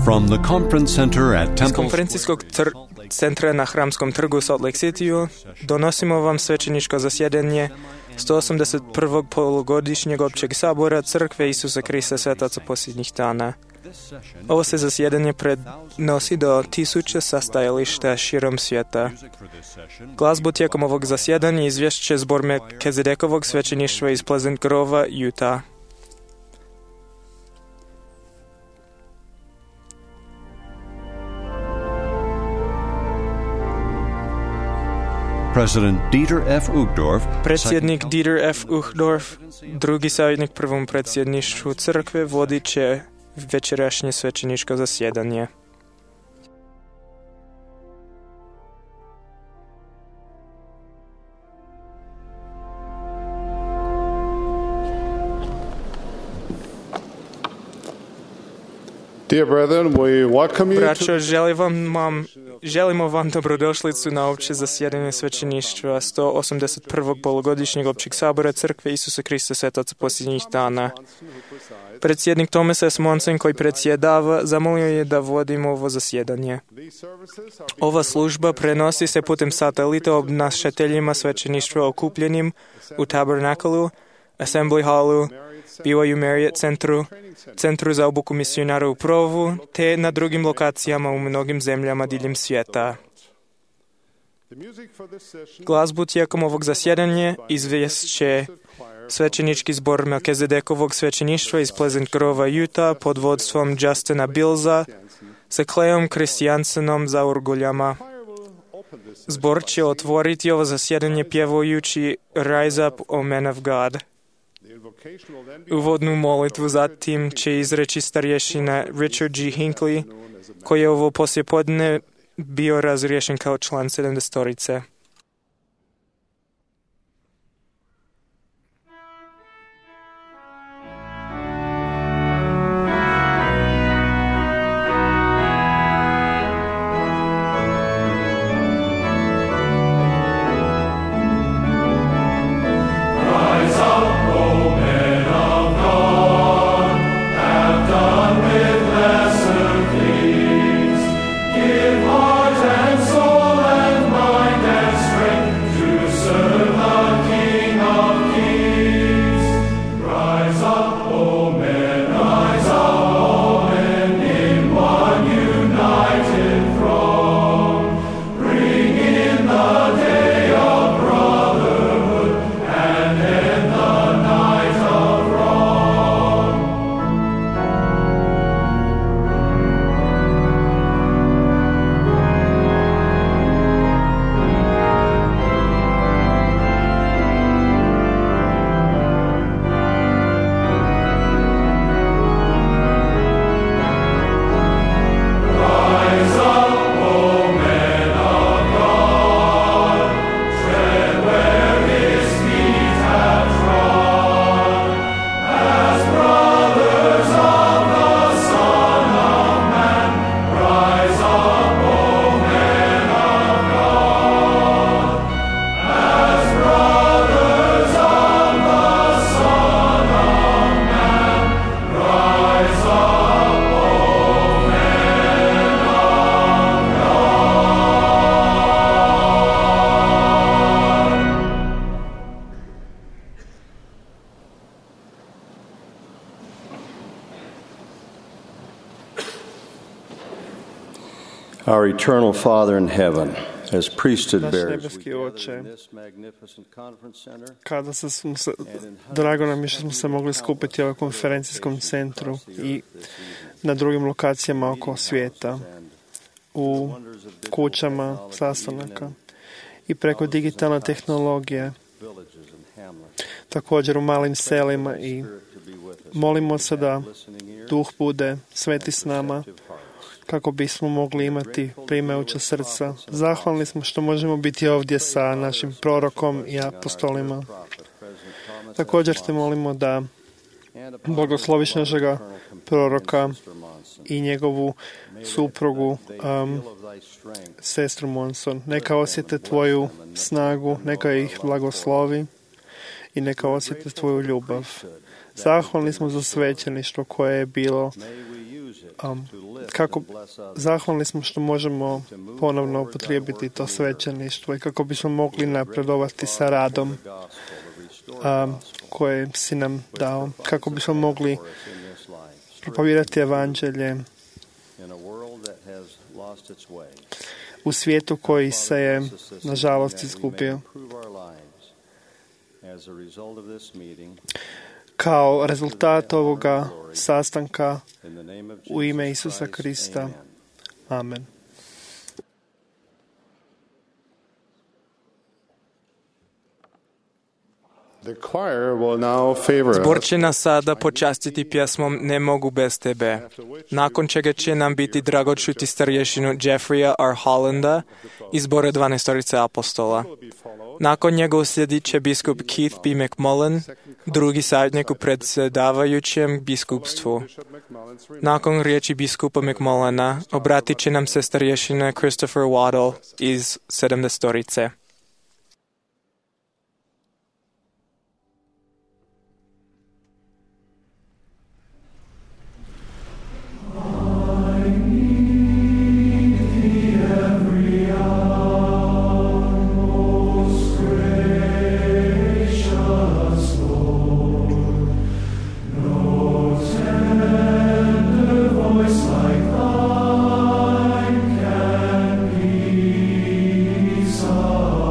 From the conference center at Iz Temple konferencijskog centra na Hramskom trgu u Salt Lake Cityu donosimo vam svećeničko zasjedanje 181. polugodišnjeg općeg sabora Crkve Isusa Krista Svetaca posljednjih dana. Ovo se zasjedanje prenosi do 1000 sastajališta širom svijeta. Glazbu tijekom ovog zasjedanja izvješće zbor Melkizedekovog svećeništva iz Pleasant Grova, Utah. Predsjednik Dieter F. Uchtdorf, drugi savjetnik prvom predsjedništvu crkve, vodit će večerašnje svećeničko zasjedanje. Dear brethren, we welcome you Braćo, želimo vam dobrodošlicu na opće zasjedanje svećeništva 181. polugodišnjeg općeg sabora Crkve Isusa Krista Svetaca posljednjih dana. Predsjednik Thomas S. Monson, koji predsjedava, zamolio je da vodimo ovo zasjedanje. Ova služba prenosi se putem satelita obnašateljima svećeništva okupljenim u Tabernaklu, Assembly Hallu, BYU Marriott centru za obuku misionara u Provu, te na drugim lokacijama u mnogim zemljama diljem svijeta. Glazbu tijekom ovog zasjedanja izvješće svećenički zbor Melkizedekovog svećeništva iz Pleasant Grova, Utah, pod vodstvom Justina Billsa sa Cleom Christiansenom za orguljama. Zbor će otvoriti ovo zasjedanje pjevajući Rise Up, O Men of God. Uvodnu molitvu zatim će izreći starješina Richard G. Hinckley, koji je ovo poslijepodne bio razriješen kao član 70-torice. Our eternal Father in heaven, as priesthood Naš bearers, nebeski Oče, drago nam je što smo se mogli skupiti u ovom konferencijskom centru i na drugim lokacijama oko svijeta, u kućama sastanaka i preko digitalne tehnologije, također u malim selima, i molimo se da Duh bude sveti s nama kako bismo mogli imati primajuća srca. Zahvalni smo što možemo biti ovdje sa našim prorokom i apostolima. Također te molimo da blagosloviš našega proroka i njegovu suprugu, sestru Monson. Neka osjete tvoju snagu, neka ih blagoslovi i neka osjete tvoju ljubav. Zahvalni smo za svećeništvo koje je bilo zahvalni smo što možemo ponovno upotrijebiti to svećeništvo i kako bismo mogli napredovati sa radom koje si nam dao, kako bismo mogli propovijedati evanđelje u svijetu koji se je, nažalost, izgubio. Kao rezultat ovoga sastanka u ime Isusa Krista. Amen. Zbor će nas sada počastiti pjesmom Ne mogu bez tebe, nakon čega će nam biti drago čuti starješinu Jeffreya R. Hollanda iz zbora 12 apostola. Nakon njega uslijedit će biskup Keith B. McMullen, drugi savjetnik u predsjedavajućem biskupstvu. Nakon riječi biskupa McMullena obratit će nam se starješina Christopher Waddle iz 70. Like thine can be so.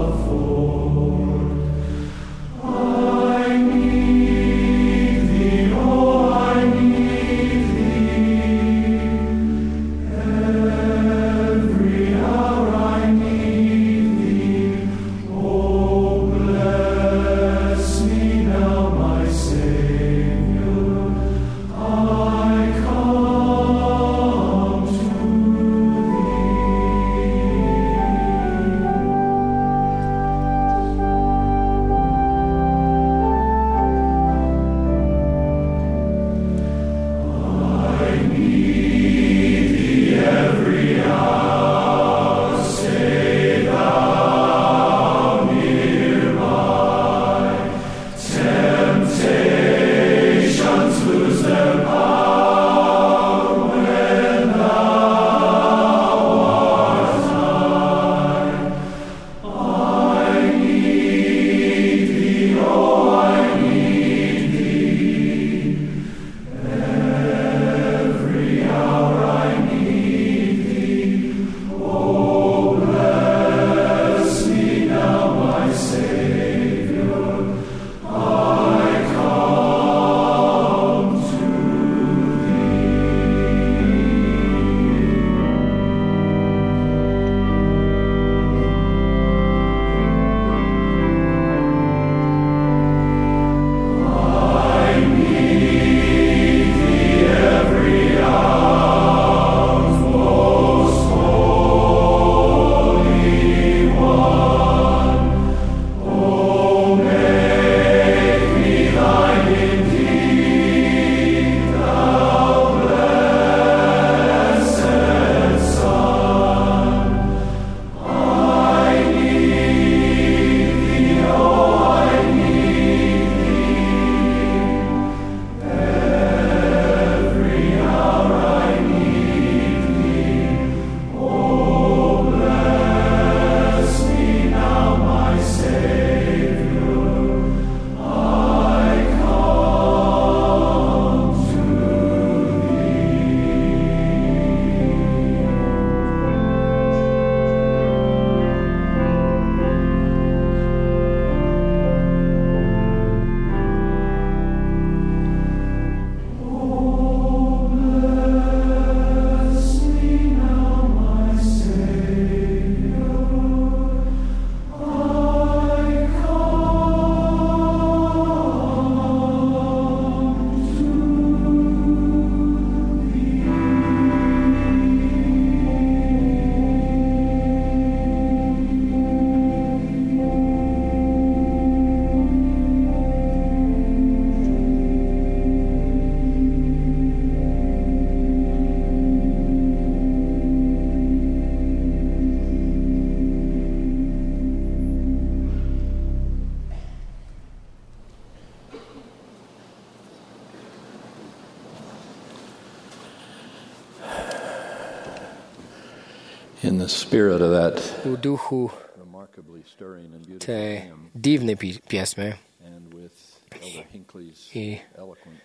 in the spirit of that u duhu remarkably stirring and beautiful te hymn, divne pjesme and with Elder Hinckley's i eloquent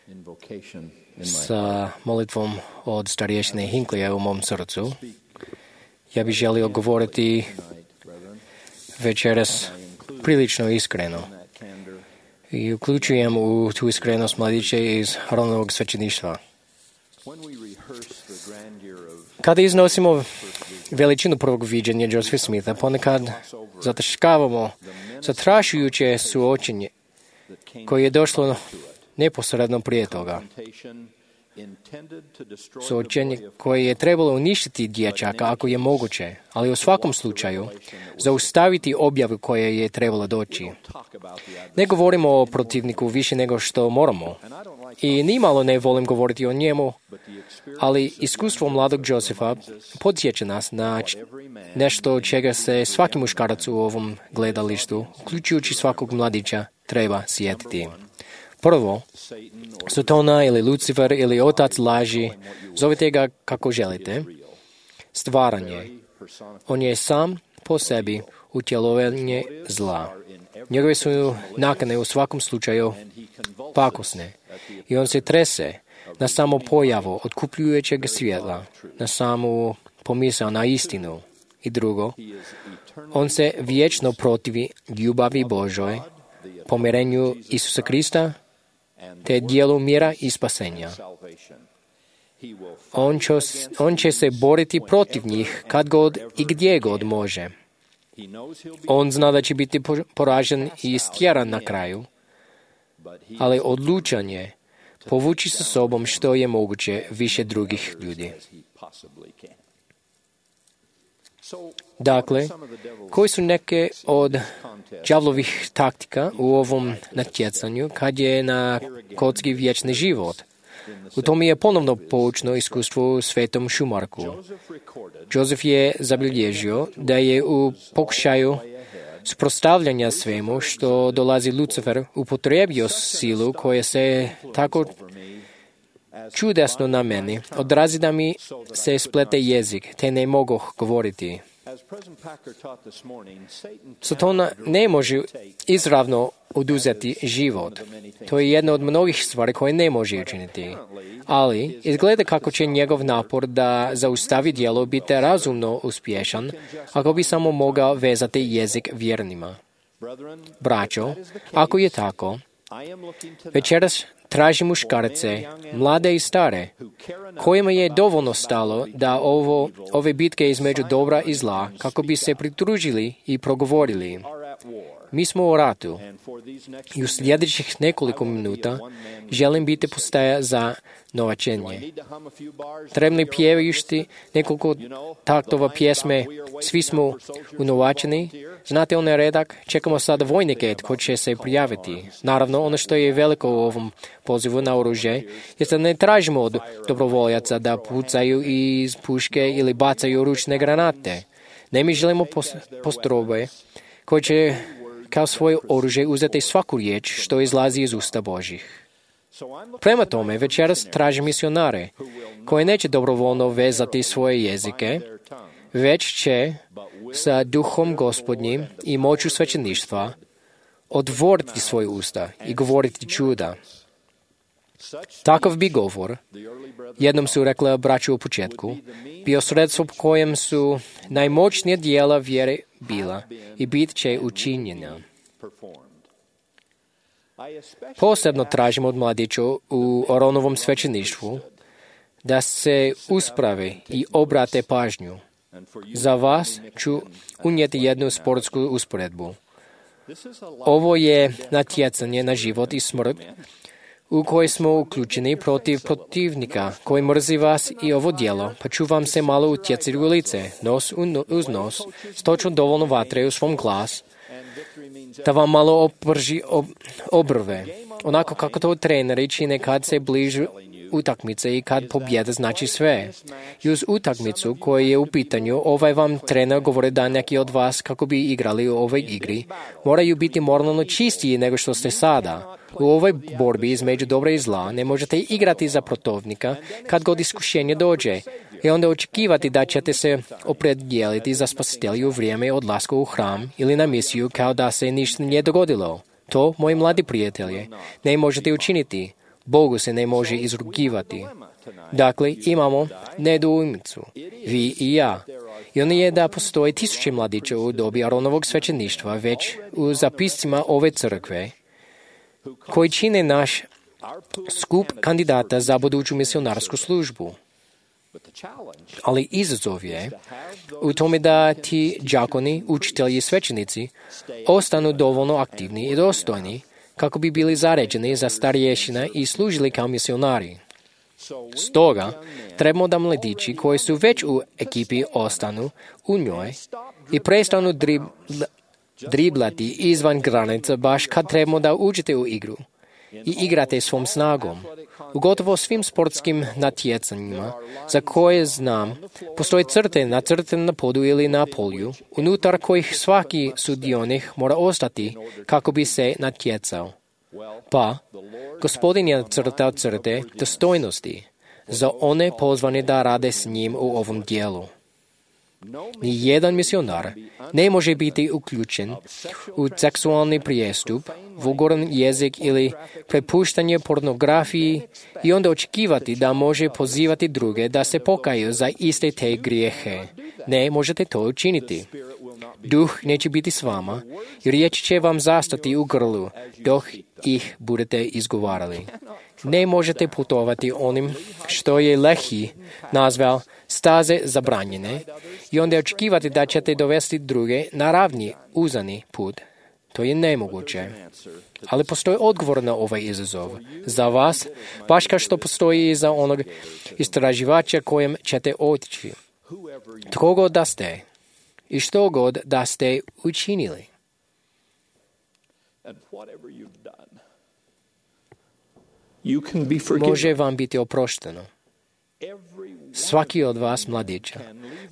invocation in my sa molitvom od starješine Hinckleyja u mom srcu, ja bih želio govoriti večeras prilično iskreno. I uključujem u tu iskrenost mladiće iz Aronovog svećeništva. Kada iznosimo veličinu prvog viđenja Josepha Smitha, ponekad zataškavamo zatrašujuće suočenje koje je došlo neposredno prije toga. Suočenje koje je trebalo uništiti dječaka ako je moguće, ali u svakom slučaju zaustaviti objavu koje je trebalo doći. Ne govorimo o protivniku više nego što moramo i nimalo ne volim govoriti o njemu, ali iskustvo mladog Josefa podsjeća nas na nešto čega se svaki muškarac u ovom gledalištu, uključujući svakog mladića, treba sjetiti. Prvo, Satana ili Lucifer ili otac laži, zovite ga kako želite, stvaranje. On je sam po sebi utjelovanje zla. Njegove su nakane u svakom slučaju pakosne i on se trese na samo pojavu otkupljujućeg svjetla, na samu pomisao na istinu. I drugo, on se vječno protivi ljubavi Božoj, pomirenju Isusa Krista, te dijelu mira i spasenja. On će se boriti protiv njih kad god i gdje god može. On zna da će biti poražen i istjeran na kraju, ali odlučan je povući sa sobom što je moguće više drugih ljudi. Dakle, koji su neke od đavlovih taktika u ovom natjecanju kad je na kocki vječni život? U tom je ponovno poučno iskustvo u Svetom Šumarku. Joseph je zabilježio da je u pokušaju suprotstavljanja svemu što dolazi Lucifer upotrijebio silu koja se tako čudesno na meni odrazi da mi se splete jezik, te ne mogu govoriti. Satana ne može izravno oduzeti život. To je jedna od mnogih stvari koje ne može učiniti. Ali izgleda kako će njegov napor da zaustavi djelo biti razumno uspješan ako bi samo mogao vezati jezik vjernima. Braćo, ako je tako, večeras traži muškarce, mlade i stare, kojima je dovoljno stalo da ove bitke između dobra i zla kako bi se pridružili i progovorili. Mi smo u ratu i u sljedećih nekoliko minuta želim biti postaja za novačenje. Trebni pjevajući nekoliko taktova pjesme, svi smo unovačeni. Znate onaj redak? Čekamo sada vojnike koji će se prijaviti. Naravno, ono što je veliko u ovom pozivu na oružje je da ne tražimo od dobrovoljaca da pucaju iz puške ili bacaju ručne granate. Ne, mi želimo postrojbe koji će kao svoje oružje uzeti svaku riječ što izlazi iz usta Božih. Prema tome, večeras traži misionare koji neće dobrovoljno vezati svoje jezike, već će sa duhom Gospodnjim i moću svećeništva otvoriti svoje usta i govoriti čuda. Takav bi govor, jednom su rekla braću u početku, bio sredstvo po kojem su najmoćnija dijela vjere bila i bit će učinjena. Posebno tražimo od mladića u Aronovom svećeništvu da se usprave i obrate pažnju. Za vas ću unijeti jednu sportsku usporedbu. Ovo je natjecanje na život i smrt u kojoj smo uključeni protiv protivnika koji mrzi vas i ovo djelo, pa ću vam se malo utjecati u lice, nos uz nos, s točno dovoljno vatre u svom glas, da vam malo oprži obrve, onako kako to treneri čine kad se bližu utakmice i kad pobjeda znači sve. I uz utakmicu koja je u pitanju, vam trener govori da neki od vas kako bi igrali u ovoj igri moraju biti moralno čistiji nego što ste sada. U ovoj borbi između dobra i zla ne možete igrati za protivnika kad god iskušenje dođe, I onda očekivati da ćete se opredijeliti za spasitelju u vrijeme odlaska u hram ili na misiju kao da se ništa nije dogodilo. To, moji mladi prijatelji, ne možete učiniti. Bogu se ne može izrugivati. Dakle, imamo nedoumicu, vi i ja. I ono je da postoji 1000 mladića u dobi Aronovog svećeništva već u zapiscima ove crkve, koji čine naš skup kandidata za buduću misionarsku službu. Ali izazov je u tome da ti đakoni, učitelji i svećenici ostanu dovoljno aktivni i dostojni kako bi bili zaređeni za starješina i služili kao misionari. Stoga, trebamo da mladići koji su već u ekipi ostanu u njoj i prestanu driblati izvan granica baš kad trebamo da uđete u igru i igrate svom snagom. U gotovo svim sportskim natjecanjima za koje znam, postoje crte nacrtane na podu ili na polju, unutar kojih svaki sudionik mora ostati kako bi se natjecao. Pa, Gospodin je nacrtao crte dostojnosti za one pozvane da rade s njim u ovom dijelu. Nijedan misionar ne može biti uključen u seksualni prijestup, vulgaran jezik ili prepuštanje pornografiji i onda očekivati da može pozivati druge da se pokaju za iste te grijehe. Ne možete to učiniti. Duh neće biti s vama i riječ će vam zastati u grlu dok ih budete izgovarali. Ne možete putovati onim što je Lehi nazval staze zabranjene i onda očekivati da ćete dovesti druge na ravni, uzani put. To je nemoguće. Ali postoji odgovor na ovaj izazov. Za vas, baš kao što postoji i za onog istraživača kojem ćete otići. Tko god da ste i što god da ste učinili. Može vam biti oprošteno. Svaki od vas, mladića,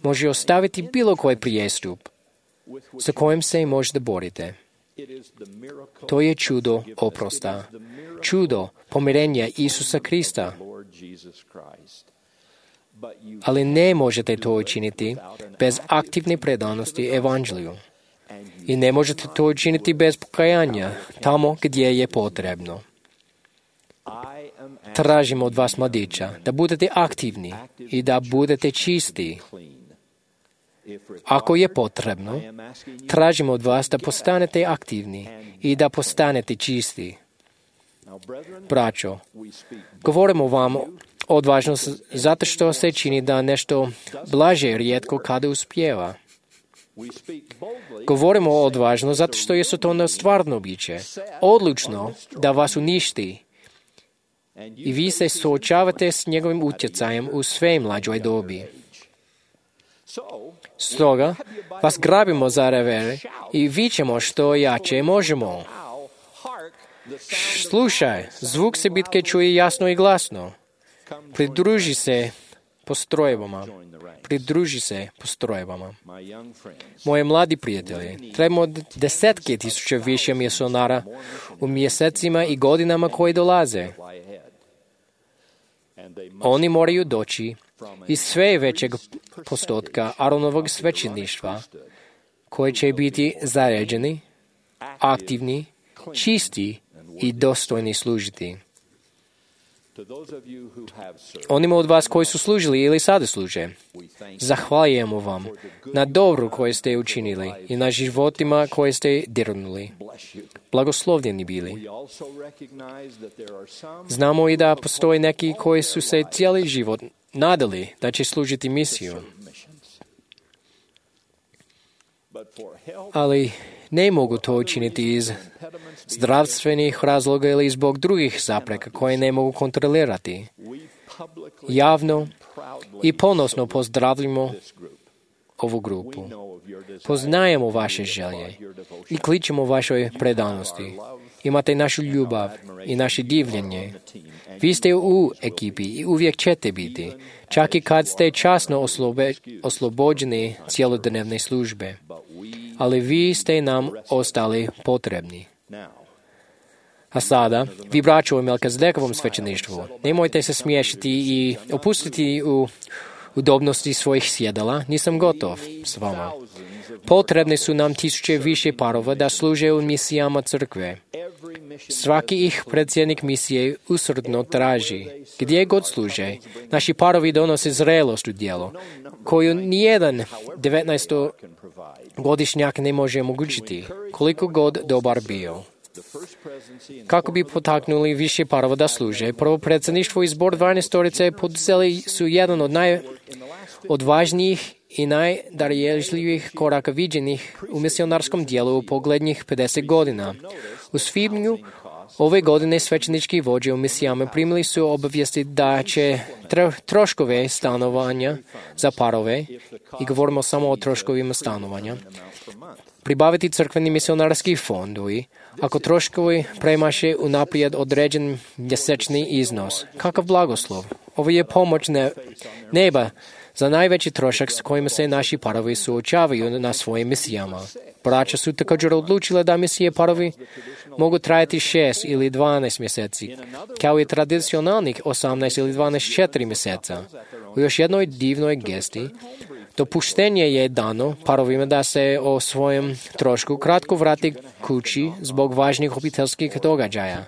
može ostaviti bilo koji prijestup sa kojim se možete borite. To je čudo oprosta, čudo pomirenja Isusa Krista. Ali ne možete to učiniti bez aktivne predanosti evanđelju. I ne možete to učiniti bez pokajanja tamo gdje je potrebno. Tražimo od vas, mladića, da budete aktivni i da budete čisti. Ako je potrebno, tražimo od vas da postanete aktivni i da postanete čisti. Braćo, govorimo vam odvažno zato što se čini da nešto blaže rijetko kada uspijeva. Govorimo odvažno zato što je to stvarno biće, odlučno da vas uništi. I vi se suočavate s njegovim utjecajem u sve mlađoj dobi. Stoga vas grabimo za revere i vičemo što jače možemo. Slušaj, zvuk se bitke čuje jasno i glasno. Pridruži se postrojbama. Moje mladi prijatelji, trebamo 10.000 više misionara u mjesecima i godinama koji dolaze. Oni moraju doći iz sve većeg postotka Aronovog svećeništva, koji će biti zaređeni, aktivni, čisti i dostojni služiti. Onima od vas koji su služili ili sada služe, zahvaljujemo vam na dobru koje ste učinili i na životima koje ste dirnuli. Blagoslovljeni bili. Znamo i da postoje neki koji su se cijeli život nadali da će služiti misiju. Ali ne mogu to učiniti iz zdravstvenih razloga ili zbog drugih zapreka koje ne mogu kontrolirati. Javno i ponosno pozdravljamo ovu grupu. Poznajemo vaše želje i kličemo vašoj predanosti. Imate našu ljubav i naše divljenje. Vi ste u ekipi i uvijek ćete biti, čak i kad ste časno oslobođeni cjelodnevne službe. Ali vi ste nam ostali potrebni. A sada, vi braćo u Melkizedekovom svećeništvu, nemojte se smiješiti i opustiti u udobnosti svojih sjedala, nisam gotov s vama. Potrebni su nam tisuće više parova da služe u misijama crkve. Svaki ih predsjednik misije usrdno traži. Gdje god služe, naši parovi donose zrelost u djelo, koju nijedan 19-godišnjak ne može omogućiti, koliko god dobar bio. Kako bi potaknuli više parova da služe, prvo predsjedništvo i zbor 12 poduzeli su jedan od najodvažnijih i najdarježljivijih koraka viđenih u misionarskom dijelu u poglednjih 50 godina. U svibnju ove godine svećenički vođe u misijama primili su obavijesti da će troškove stanovanja za parove, i govorimo samo o troškovima stanovanja, pribaviti crkveni misionarski fondovi, ako troškovi premaše unaprijed određen mjesečni iznos. Kakav blagoslov! Ovo je pomoć neba za najveći trošak s kojim se naši parovi suočavaju na svojim misijama. Braća su također odlučile da misije parovi mogu trajati 6 ili 12 mjeseci, kao i tradicionalnih 18 ili 12 mjeseca. U još jednoj divnoj gesti, dopuštenje je dano parovima da se o svojem trošku kratko vrati kući zbog važnih obiteljskih događaja.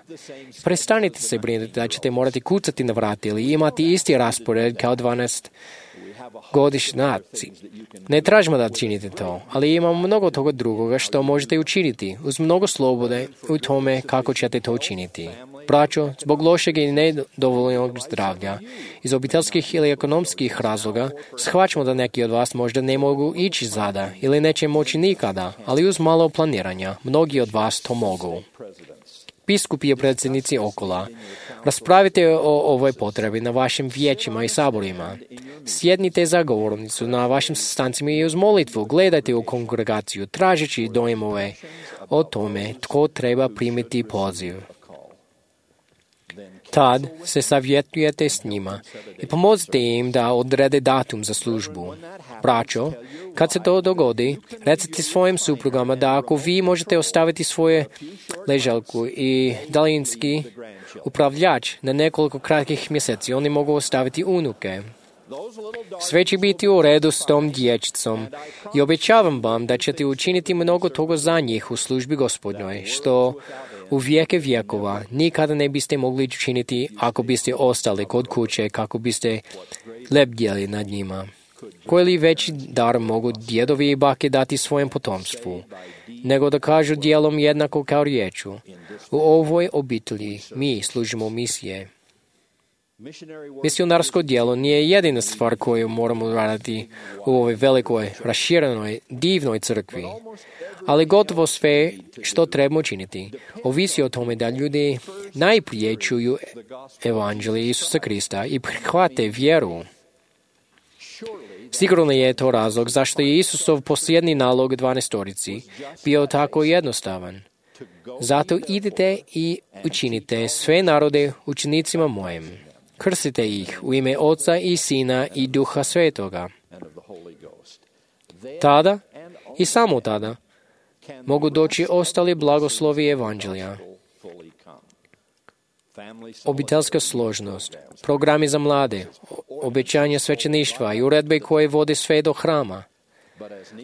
Prestanite se brinuti da ćete morati kucati na vrati ili imati isti raspored kao 12-godišnjaci. Ne tražimo da činite to, ali imamo mnogo toga drugoga što možete učiniti, uz mnogo slobode u tome kako ćete to učiniti. Braćo, zbog lošeg i nedovoljnog zdravlja, iz obiteljskih ili ekonomskih razloga, shvaćamo da neki od vas možda ne mogu ići zada ili neće moći nikada, ali uz malo planiranja, mnogi od vas to mogu. Biskupi i predsjednici okola, raspravite o ovoj potrebi na vašim vijećima i saborima. Sjednite za govornicu na vašim sastancima i uz molitvu gledajte u kongregaciju, tražeći dojmove o tome tko treba primiti poziv. Tad se savjetujete s njima i pomozite im da odrede datum za službu. Braćo, kad se to dogodi, recite svojim suprugama da ako vi možete ostaviti svoje ležalku i daljinski upravljač na nekoliko kratkih mjeseci, oni mogu ostaviti unuke. Sve će biti u redu s tom dječicom i obećavam vam da ćete učiniti mnogo toga za njih u službi Gospodnjoj, što u vijeke vjekova nikada ne biste mogli učiniti ako biste ostali kod kuće kako biste lebdjeli nad njima. Koji li veći dar mogu djedovi i bake dati svojem potomstvu, nego da kažu dijelom jednako kao riječu. U ovoj obitelji mi služimo misije. Misionarsko djelo nije jedina stvar koju moramo raditi u ovoj velikoj, raširenoj, divnoj crkvi, ali gotovo sve što trebamo učiniti ovisi o tome da ljudi najprije čuju evanđelje Isusa Krista i prihvate vjeru. Sigurno je to razlog zašto je Isusov posljednji nalog 12 bio tako jednostavan. Zato idite i učinite sve narode učenicima mojim. Krstite ih u ime Oca i Sina i Duha Svetoga. Tada i samo tada mogu doći ostali blagoslovi evanđelja. Obiteljska složnost, programi za mlade, obećanje svećeništva i uredbe koje vode sve do hrama.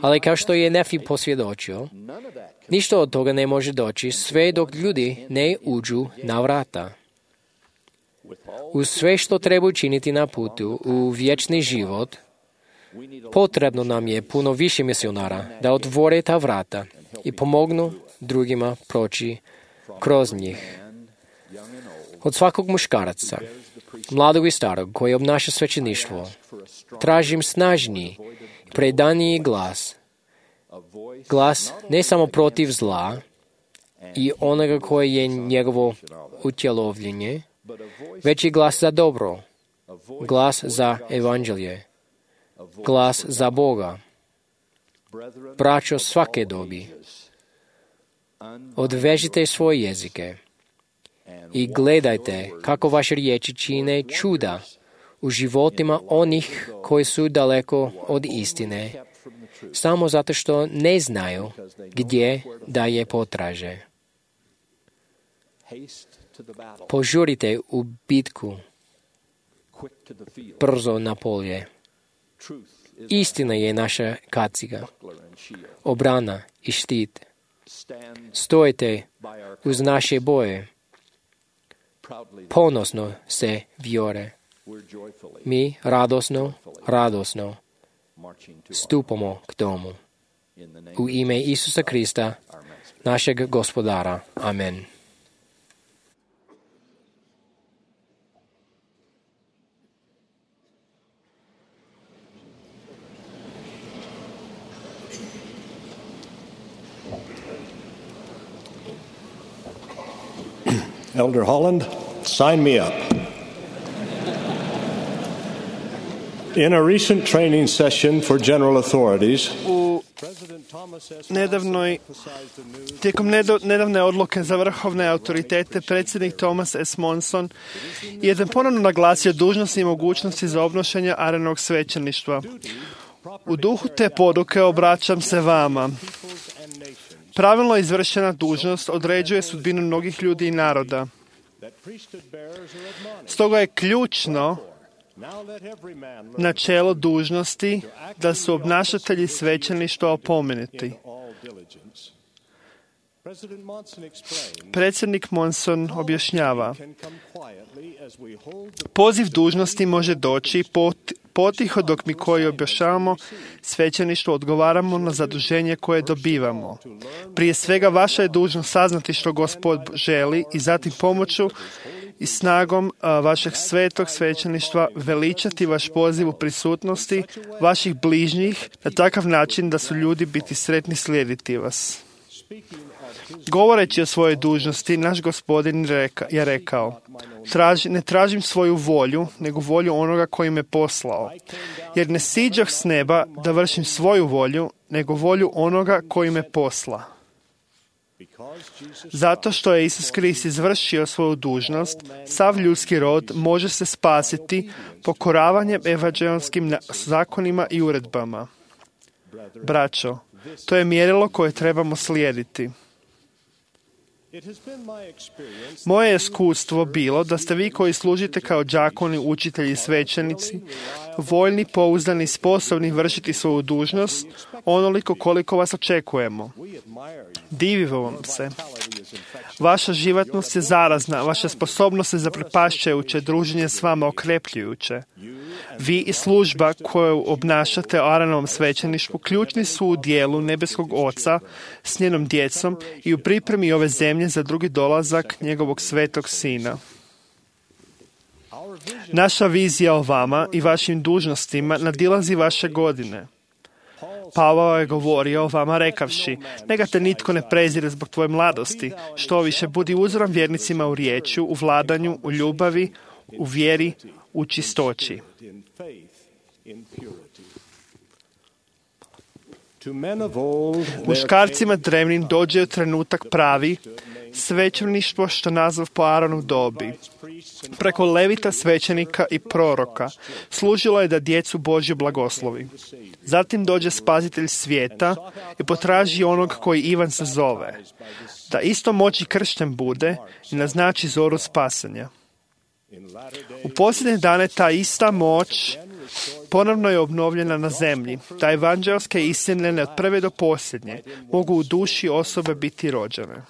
Ali kao što je Nefi posvjedočio, ništa od toga ne može doći sve dok ljudi ne uđu na vrata. Uz sve što treba učiniti na putu u vječni život, potrebno nam je puno više misionara da otvore ta vrata i pomognu drugima proći kroz njih. Od svakog muškaraca, mladog i starog koji obnaša svećeništvo, tražim snažniji, predaniji glas. Glas ne samo protiv zla i onoga koje je njegovo utjelovljenje, već i glas za dobro, glas za evanđelje, glas za Boga. Braćo svake dobi, odvežite svoje jezike i gledajte kako vaše riječi čine čuda u životima onih koji su daleko od istine, samo zato što ne znaju gdje da je potraže. Požurite u bitku, brzo na polje. Istina je naša kaciga, obrana i štit. Stojite uz naše boje. Ponosno se vjore. Mi radosno stupamo k tomu. U ime Isusa Krista, našeg Gospodara. Amen. Elder Holland, sign me up. In a recent training session for general authorities, Tijekom nedavne odluke za vrhovne autoritete, predsjednik Thomas S. Monson je ponovno naglasio dužnosti i mogućnosti za obnošenje arenog svećeništva. U duhu te poruke obraćam se vama. Pravilno izvršena dužnost određuje sudbinu mnogih ljudi i naroda. Stoga je ključno načelo dužnosti da su obnašatelji svećeništva opomenuti. Predsjednik Monson objašnjava: poziv dužnosti može doći potiho dok mi koji objašnjavamo svećeništvo odgovaramo na zaduženje koje dobivamo. Prije svega vaša je dužnost saznati što Gospod želi i zatim pomoću i snagom vašeg svetog svećeništva veličati vaš poziv u prisutnosti vaših bližnjih na takav način da su ljudi biti sretni slijediti vas. Govoreći o svojoj dužnosti, naš Gospodin je rekao: ne tražim svoju volju, nego volju onoga koji me poslao. Jer ne siđah s neba da vršim svoju volju, nego volju onoga koji me posla. Zato što je Isus Krist izvršio svoju dužnost, sav ljudski rod može se spasiti pokoravanjem evanđeonskim zakonima i uredbama. Braćo, to je mjerilo koje trebamo slijediti. Moje iskustvo bilo da ste vi koji služite kao đakoni, učitelji i svećenici, voljni, pouzdani i sposobni vršiti svoju dužnost onoliko koliko vas očekujemo. Divimo vam se. Vaša životnost je zarazna, vaša sposobnost je zaprepašćujuće, druženje s vama okrepljujuće. Vi i služba koju obnašate u Aaronovom svećeništvu ključni su u dijelu nebeskog Oca s njenom djecom i u pripremi ove zemlje za drugi dolazak njegovog svetog Sina. Naša vizija o vama i vašim dužnostima nadilazi vaše godine. Pavao je govorio o vama rekavši: neka te nitko ne prezire zbog tvoje mladosti, što više budi uzorom vjernicima u riječju, u vladanju, u ljubavi, u vjeri, u čistoći. Muškarcima drevnim dođe trenutak pravi, svećeništvo što nazvav po Aaronov dobi. Preko levita, svećenika i proroka služilo je da djecu Božju blagoslovi. Zatim dođe spasitelj svijeta i potraži onog koji Ivan se zove, da isto moći kršten bude i naznači zoru spasenja. U posljednje dane ta ista moć ponovno je obnovljena na zemlji, da evanđelske istine od prve do posljednje mogu u duši osobe biti rođene.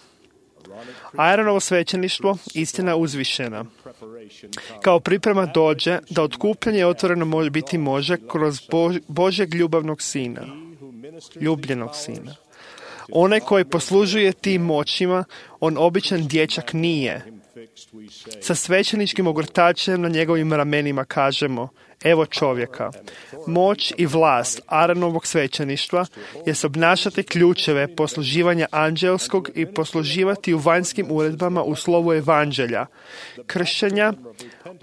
Aaronovo svećeništvo, istina uzvišena. Kao priprema dođe da otkupljanje otvoreno može kroz Božjeg ljubljenog sina. Onaj koji poslužuje tim moćima, on običan dječak nije. Sa svećeničkim ogrtačem na njegovim ramenima kažemo: evo čovjeka. Moć i vlast Aaronovog svećeništva je obnašati ključeve posluživanja anđelskog i posluživati u vanjskim uredbama u slovu evanđelja, kršenja,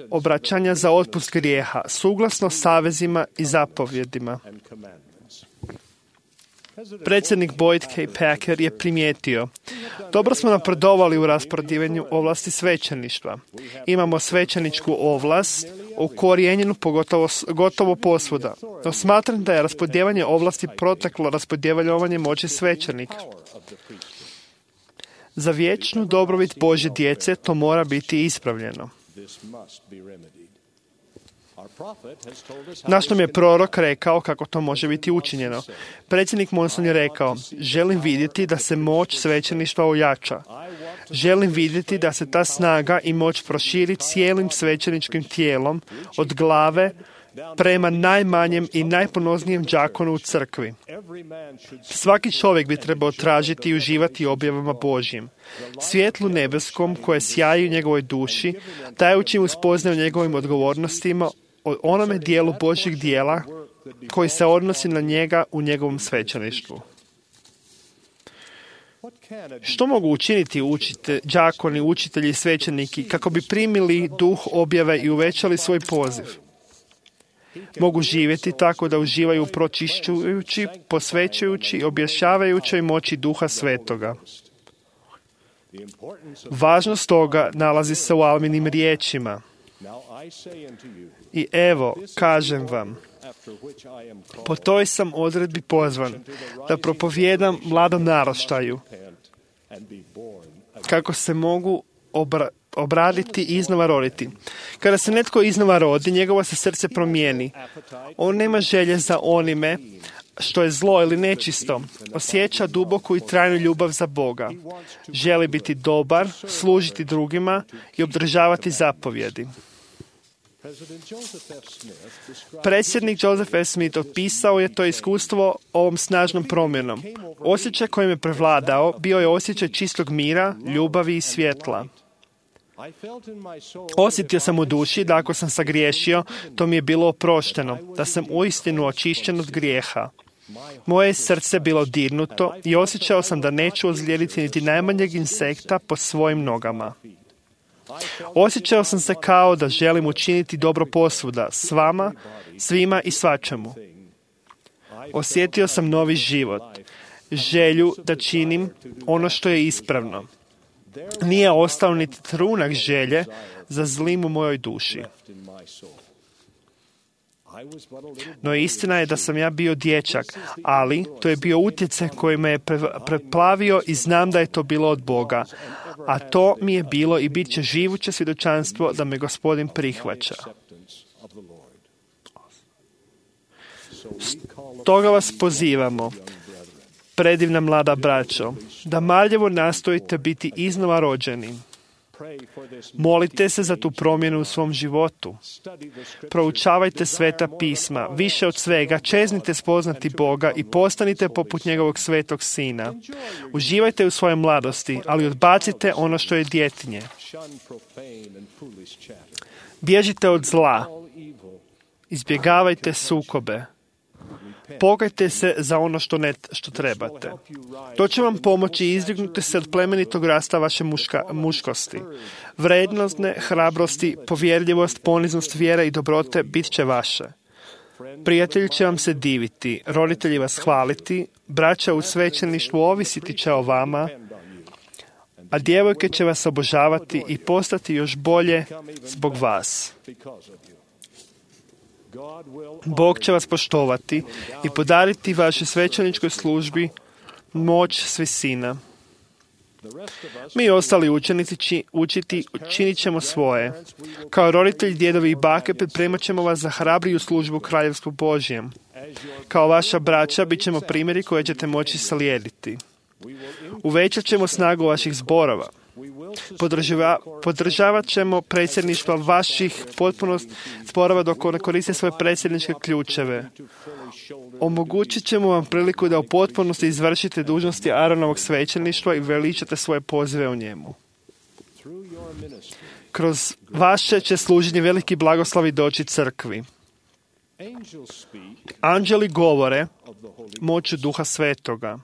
obraćanja za otpust grijeha, suglasno savezima i zapovjedima. Predsjednik Boyd K. Packer je primijetio: dobro smo napredovali u rasporedivanju ovlasti svećeništva. Imamo svećeničku ovlast ukorijenjenu gotovo posvuda. No smatram da je raspodjeljivanje ovlasti proteklo raspodjeljivanje moći svećenika. Za vječnu dobrobit Božje djece to mora biti ispravljeno. Naš nam je prorok rekao kako to može biti učinjeno. Predsjednik Monson je rekao, želim vidjeti da se moć svećeništva ojača. Želim vidjeti da se ta snaga i moć proširi cijelim svećeničkim tijelom od glave prema najmanjem i najponoznijem đakonu u crkvi. Svaki čovjek bi trebao tražiti i uživati objavama Božjim. Svjetlu nebeskom koje sjaji u njegovoj duši, dajući mu spoznaju njegovim odgovornostima o onome dijelu Božjeg dijela koji se odnosi na njega u njegovom svećeništvu. Što mogu učiniti đakoni, učitelji i svećeniki kako bi primili duh objave i uvećali svoj poziv? Mogu živjeti tako da uživaju pročišćujući, posvećujući i objašnjavajućoj moći Duha Svetoga. Važnost toga nalazi se u Alminim riječima. I evo, kažem vam, po toj sam odredbi pozvan da propovijedam mladom naraštaju kako se mogu obraditi i iznova roditi. Kada se netko iznova rodi, njegovo se srce promijeni. On nema želje za onime što je zlo ili nečisto. Osjeća duboku i trajnu ljubav za Boga. Želi biti dobar, služiti drugima i obdržavati zapovjedi. Predsjednik Joseph F. Smith opisao je to iskustvo ovom snažnom promjenom. Osjećaj kojim je prevladao bio je osjećaj čistog mira, ljubavi i svjetla. Osjetio sam u duši da ako sam sagriješio, to mi je bilo oprošteno, da sam uistinu očišćen od grijeha. Moje srce bilo dirnuto i osjećao sam da neću ozlijediti niti najmanjeg insekta po svojim nogama. Osjećao sam se kao da želim učiniti dobro posvuda, s vama, svima i svačemu. Osjetio sam novi život, želju da činim ono što je ispravno. Nije ostao niti trunak želje za zlim u mojoj duši. No istina je da sam ja bio dječak, ali to je bio utjecaj koji me je preplavio i znam da je to bilo od Boga. A to mi je bilo i bit će živuće svjedočanstvo da me Gospodin prihvaća. Stoga vas pozivamo, predivna mlada braćo, da marljivo nastojite biti iznova rođeni. Molite se za tu promjenu u svom životu. Proučavajte sveta pisma. Više od svega, čeznite spoznati Boga i postanite poput njegovog svetog sina. Uživajte u svojoj mladosti, ali odbacite ono što je djetinje. Bježite od zla. Izbjegavajte sukobe. Pokajte se za ono što trebate. To će vam pomoći izdignuti se od plemenitog rasta vaše muškosti. Vrednostne, hrabrosti, povjerljivost, poniznost, vjera i dobrote bit će vaše. Prijatelji će vam se diviti, roditelji vas hvaliti, braća u svećeništvu ovisiti će o vama, a djevojke će vas obožavati i postati još bolje zbog vas. Bog će vas poštovati i podariti vašoj svećeničkoj službi moć s visina. Mi ostali učenici činit ćemo svoje. Kao roditelji, djedovi i bake pripremat ćemo vas za hrabriju službu u Kraljevstvu Božjem. Kao vaša braća bit ćemo primjeri koje ćete moći slijediti. Uvećat ćemo snagu vaših zborova. Podržavat ćemo predsjedništva vaših potpunost zborova dok ne koriste svoje predsjedničke ključeve. Omogućit ćemo vam priliku da u potpunosti izvršite dužnosti Aaronovog svećeništva i veličate svoje pozive u njemu. Kroz vaše će služenje veliki blagoslovi doći crkvi. Anđeli govore moću Duha Svetoga.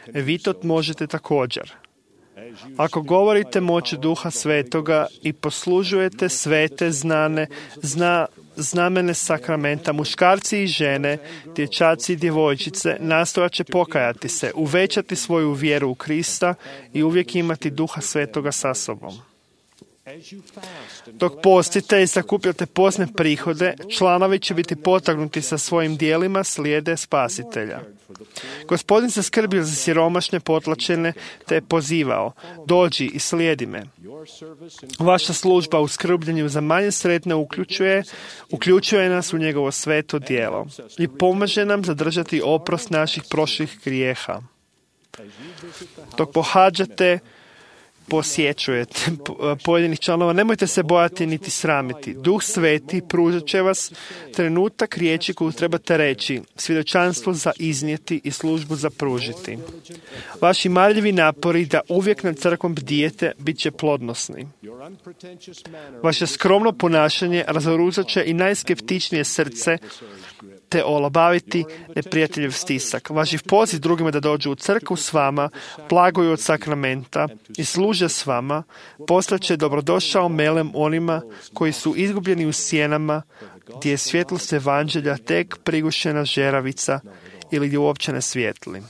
Vi to možete također. Ako govorite moću Duha Svetoga i poslužujete svete znamene sakramenta, muškarci i žene, dječaci i djevojčice nastojat će pokajati se, uvećati svoju vjeru u Krista i uvijek imati Duha Svetoga sa sobom. Dok postite i sakupljate postne prihode, članovi će biti potaknuti sa svojim dijelima slijede Spasitelja. Gospodin se skrbio za siromašne, potlačene, te je pozivao: dođi i slijedi me. Vaša služba u skrbljenju za manje sretne uključuje nas u njegovo sveto djelo i pomaže nam zadržati oprost naših prošlih grijeha. Dok pohađate, posjećujete pojedinih članova, nemojte se bojati niti sramiti. Duh Sveti pružat će vas trenutak riječi koju trebate reći, svjedočanstvo za iznijeti i službu za pružiti. Vaši marljivi napori da uvijek nad crkvom bdijete bit će plodnosni. Vaše skromno ponašanje razoružat će i najskeptičnije srce te olabaviti neprijateljev stisak. Vaš poziv drugima da dođu u crkvu s vama, blagoju od sakramenta i služe s vama, poslaće dobrodošao melem onima koji su izgubljeni u sjenama, gdje je svjetlost evanđelja tek prigušena žeravica ili gdje uopće ne svijetli.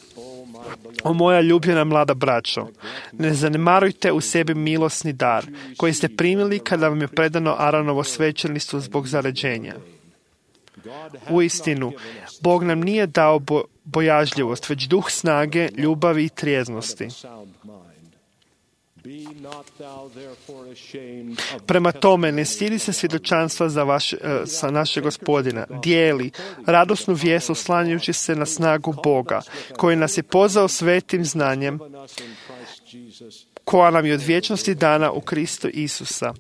O moja ljubljena mlada braćo, ne zanemarujte u sebi milosni dar koji ste primili kada vam je predano Aaronovo svećeništvo zbog zaređenja. Uistinu, Bog nam nije dao bojažljivost, već duh snage, ljubavi i trijeznosti. Prema tome, ne stidi se svjedočanstva sa našeg Gospodina. Dijeli radosnu vijest oslanjajući se na snagu Boga, koji nas je pozvao svetim znanjem, koja nam je od vječnosti dana u Kristu Isusa.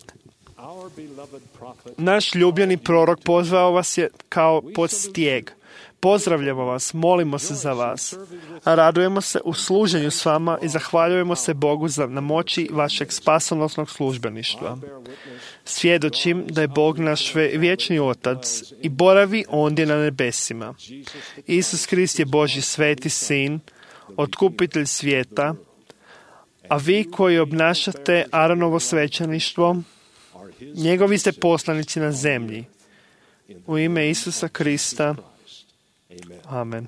Naš ljubljeni prorok pozvao vas je kao pod stijeg. Pozdravljamo vas, molimo se za vas, a radujemo se u služenju s vama i zahvaljujemo se Bogu na moći vašeg spasonosnog službeništva. Svjedočim da je Bog naš vječni Otac i boravi ondje na nebesima. Isus Krist je Božji sveti Sin, otkupitelj svijeta, a vi koji obnašate Aaronovo svećeništvo, njegovi ste poslanici na zemlji. U ime Isusa Krista. Amen.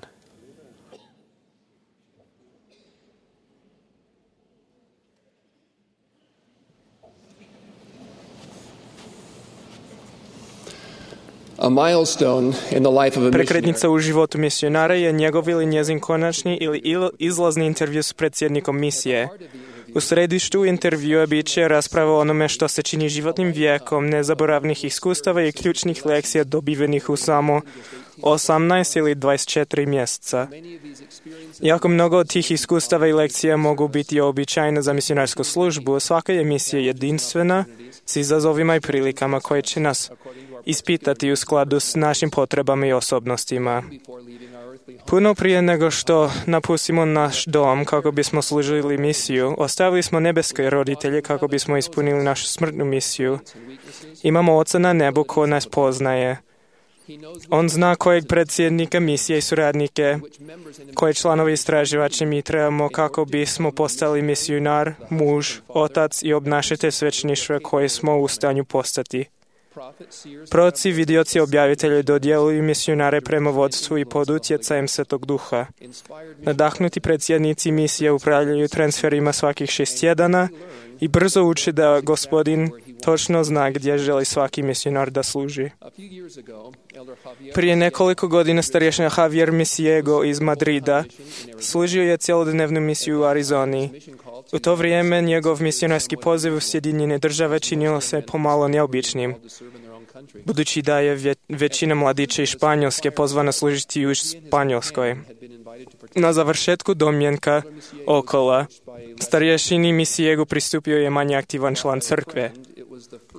Prekretnica u životu misionara je njegov ili njezin konačni ili izlazni intervju s predsjednikom misije. U središtu intervjua bit će rasprava o onome što se čini životnim vijekom, nezaboravnih iskustava i ključnih lekcija dobivenih u samo 18 ili 24 mjeseca. Jako mnogo od tih iskustava i lekcija mogu biti običajne za misionarsku službu, svaka je misija jedinstvena s izazovima i prilikama koje će nas ispitati u skladu s našim potrebama i osobnostima. Puno prije nego što napustimo naš dom kako bismo služili misiju, ostavili smo nebeske roditelje kako bismo ispunili našu smrtnu misiju. Imamo Oca na nebu ko nas poznaje. On zna kojeg predsjednika misije i suradnike, koje članovi istraživače mi trebamo kako bismo postali misionar, muž, otac i obnašatelj svećeništva koje smo u stanju postati. Proroci, vidioci, objavitelji dodjeluju misionare prema vodstvu i pod utjecajem Svetog Duha. Nadahnuti predsjednici misije upravljaju transferima svakih 6 tjedana i brzo uče da Gospodin točno zna gdje želi svaki misionar da služi. Prije nekoliko godina starješina Javier Misiego iz Madrida služio je cjelodnevnu misiju u Arizoni. U to vrijeme njegov misionarski poziv u Sjedinjene Države činilo se pomalo neobičnim, budući da je većina mladića iz Španjolske pozvana služiti u Španjolskoj. Na završetku domjenka okola, starješini Misiegu pristupio je manje aktivan član crkve.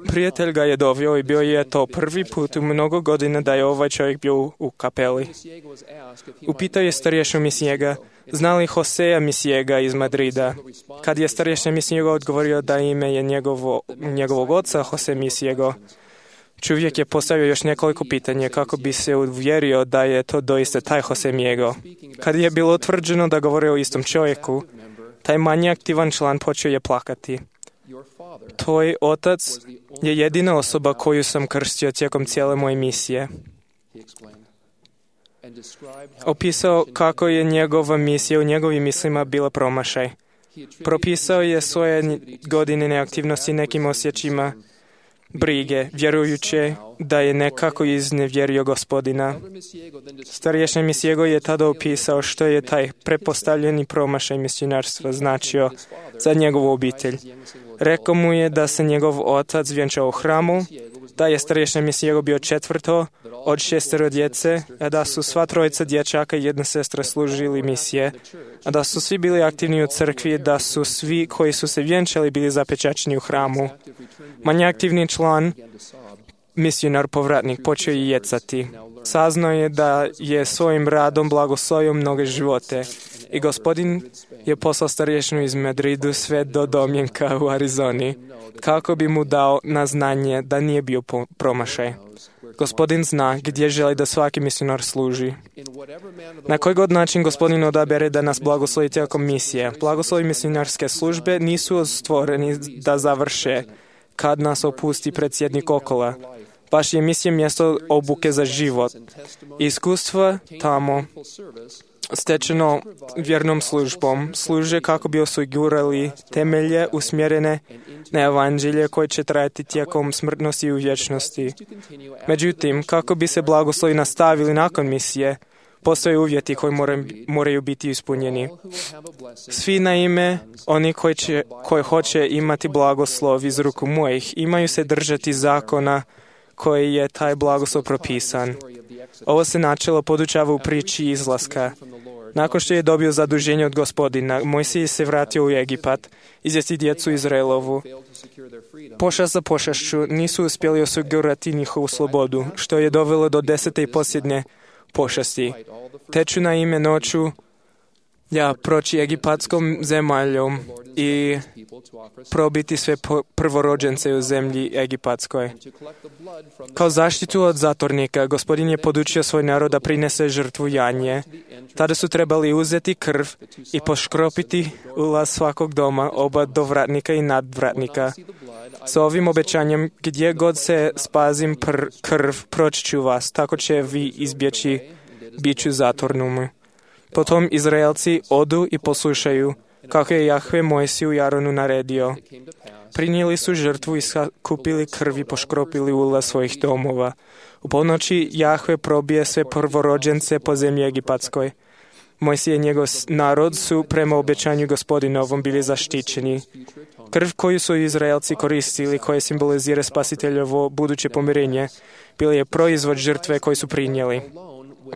Prijatelj ga je doveo i bio je to prvi put u mnogo godina da je ovaj čovjek bio u kapeli. Upitao je starješinu Misiega, zna li Josea Misiega iz Madrida. Kad je starješina Misiego odgovorio da ime je njegovog oca Jose Misiego, čovjek je postavio još nekoliko pitanja kako bi se uvjerio da je to doista taj Jose Misiego. Kad je bilo utvrđeno da govori o istom čovjeku, taj manje aktivan član počeo je plakati. Tvoj otac je jedina osoba koju sam krstio tijekom cijele moje misije. Opisao kako je njegova misija u njegovim mislima bila promašaj. Propisao je svoje godine neaktivnosti nekim osjećima brige, vjerujući da je nekako iznevjerio Gospodina. Starješni Misjego je tada opisao što je taj prepostavljeni promašaj misionarstva značio za njegovu obitelj. Rekao mu je da se njegov otac vjenčao u hramu, da je starješni Misjego bio četvrto od 6 djece, a da su sva trojica dječaka i jedna sestra služili misije, a da su svi bili aktivni u crkvi, da su svi koji su se vjenčali bili zapečaćeni u hramu. Manje aktivni član, misionar povratnik, počeo je jecati. Saznao je da je svojim radom blagoslovio mnoge živote i Gospodin je poslao starješinu iz Madridu sve do domjenka u Arizoni, kako bi mu dao na znanje da nije bio promašaj. Gospodin zna gdje želi da svaki misionar služi. Na koji god način Gospodin odabere da nas blagoslovi tijekom misije. Blagoslovi misionarske službe nisu stvoreni da završe kad nas opusti predsjednik okola. Baš je misija mjesto obuke za život. Iskustva tamo stečeno vjernom službom služe kako bi osigurali temelje usmjerene na evanđelje koje će trajati tijekom smrtnosti i u vječnosti. Međutim, kako bi se blagoslovi nastavili nakon misije, postoje uvjeti koji moraju biti ispunjeni. Svi naime, oni koji hoće imati blagoslov iz ruku mojih, imaju se držati zakona koji je taj blagoslov propisan. Ovo se načelo podučava u priči izlaska. Nakon što je dobio zaduženje od Gospodina, Mojsije se vratio u Egipat, izvesti djecu Izraelovu. Pošast za pošašću nisu uspjeli osigurati njihovu slobodu, što je dovelo do 10. i posljednje pošasti. Teću na ime noću proći egipatskom zemaljom i probiti sve prvorođence u zemlji egipatskoj. Kao zaštitu od zatornika, Gospodin je podučio svoj narod da prinese žrtvu janje. Tada su trebali uzeti krv i poškropiti ulaz svakog doma, oba dovratnika i nadvratnika. S ovim obećanjem, gdje god se spazim krv, proći ću vas, tako će vi izbjeći biću zatornumu. Potom Izraelci odu i poslušaju, kako je Jahve Mojsiju i Aronu naredio. Prinijeli su žrtvu i sakupili krv i poškropili ulaz svojih domova. U ponoći Jahve probije sve prvorođence po zemlji egipatskoj. Mojsije i njegov narod su prema obećanju Gospodinovom bili zaštićeni. Krv koju su Izraelci koristili, koje simbolizira spasiteljevo buduće pomirenje, bila je proizvod žrtve koju su prinijeli.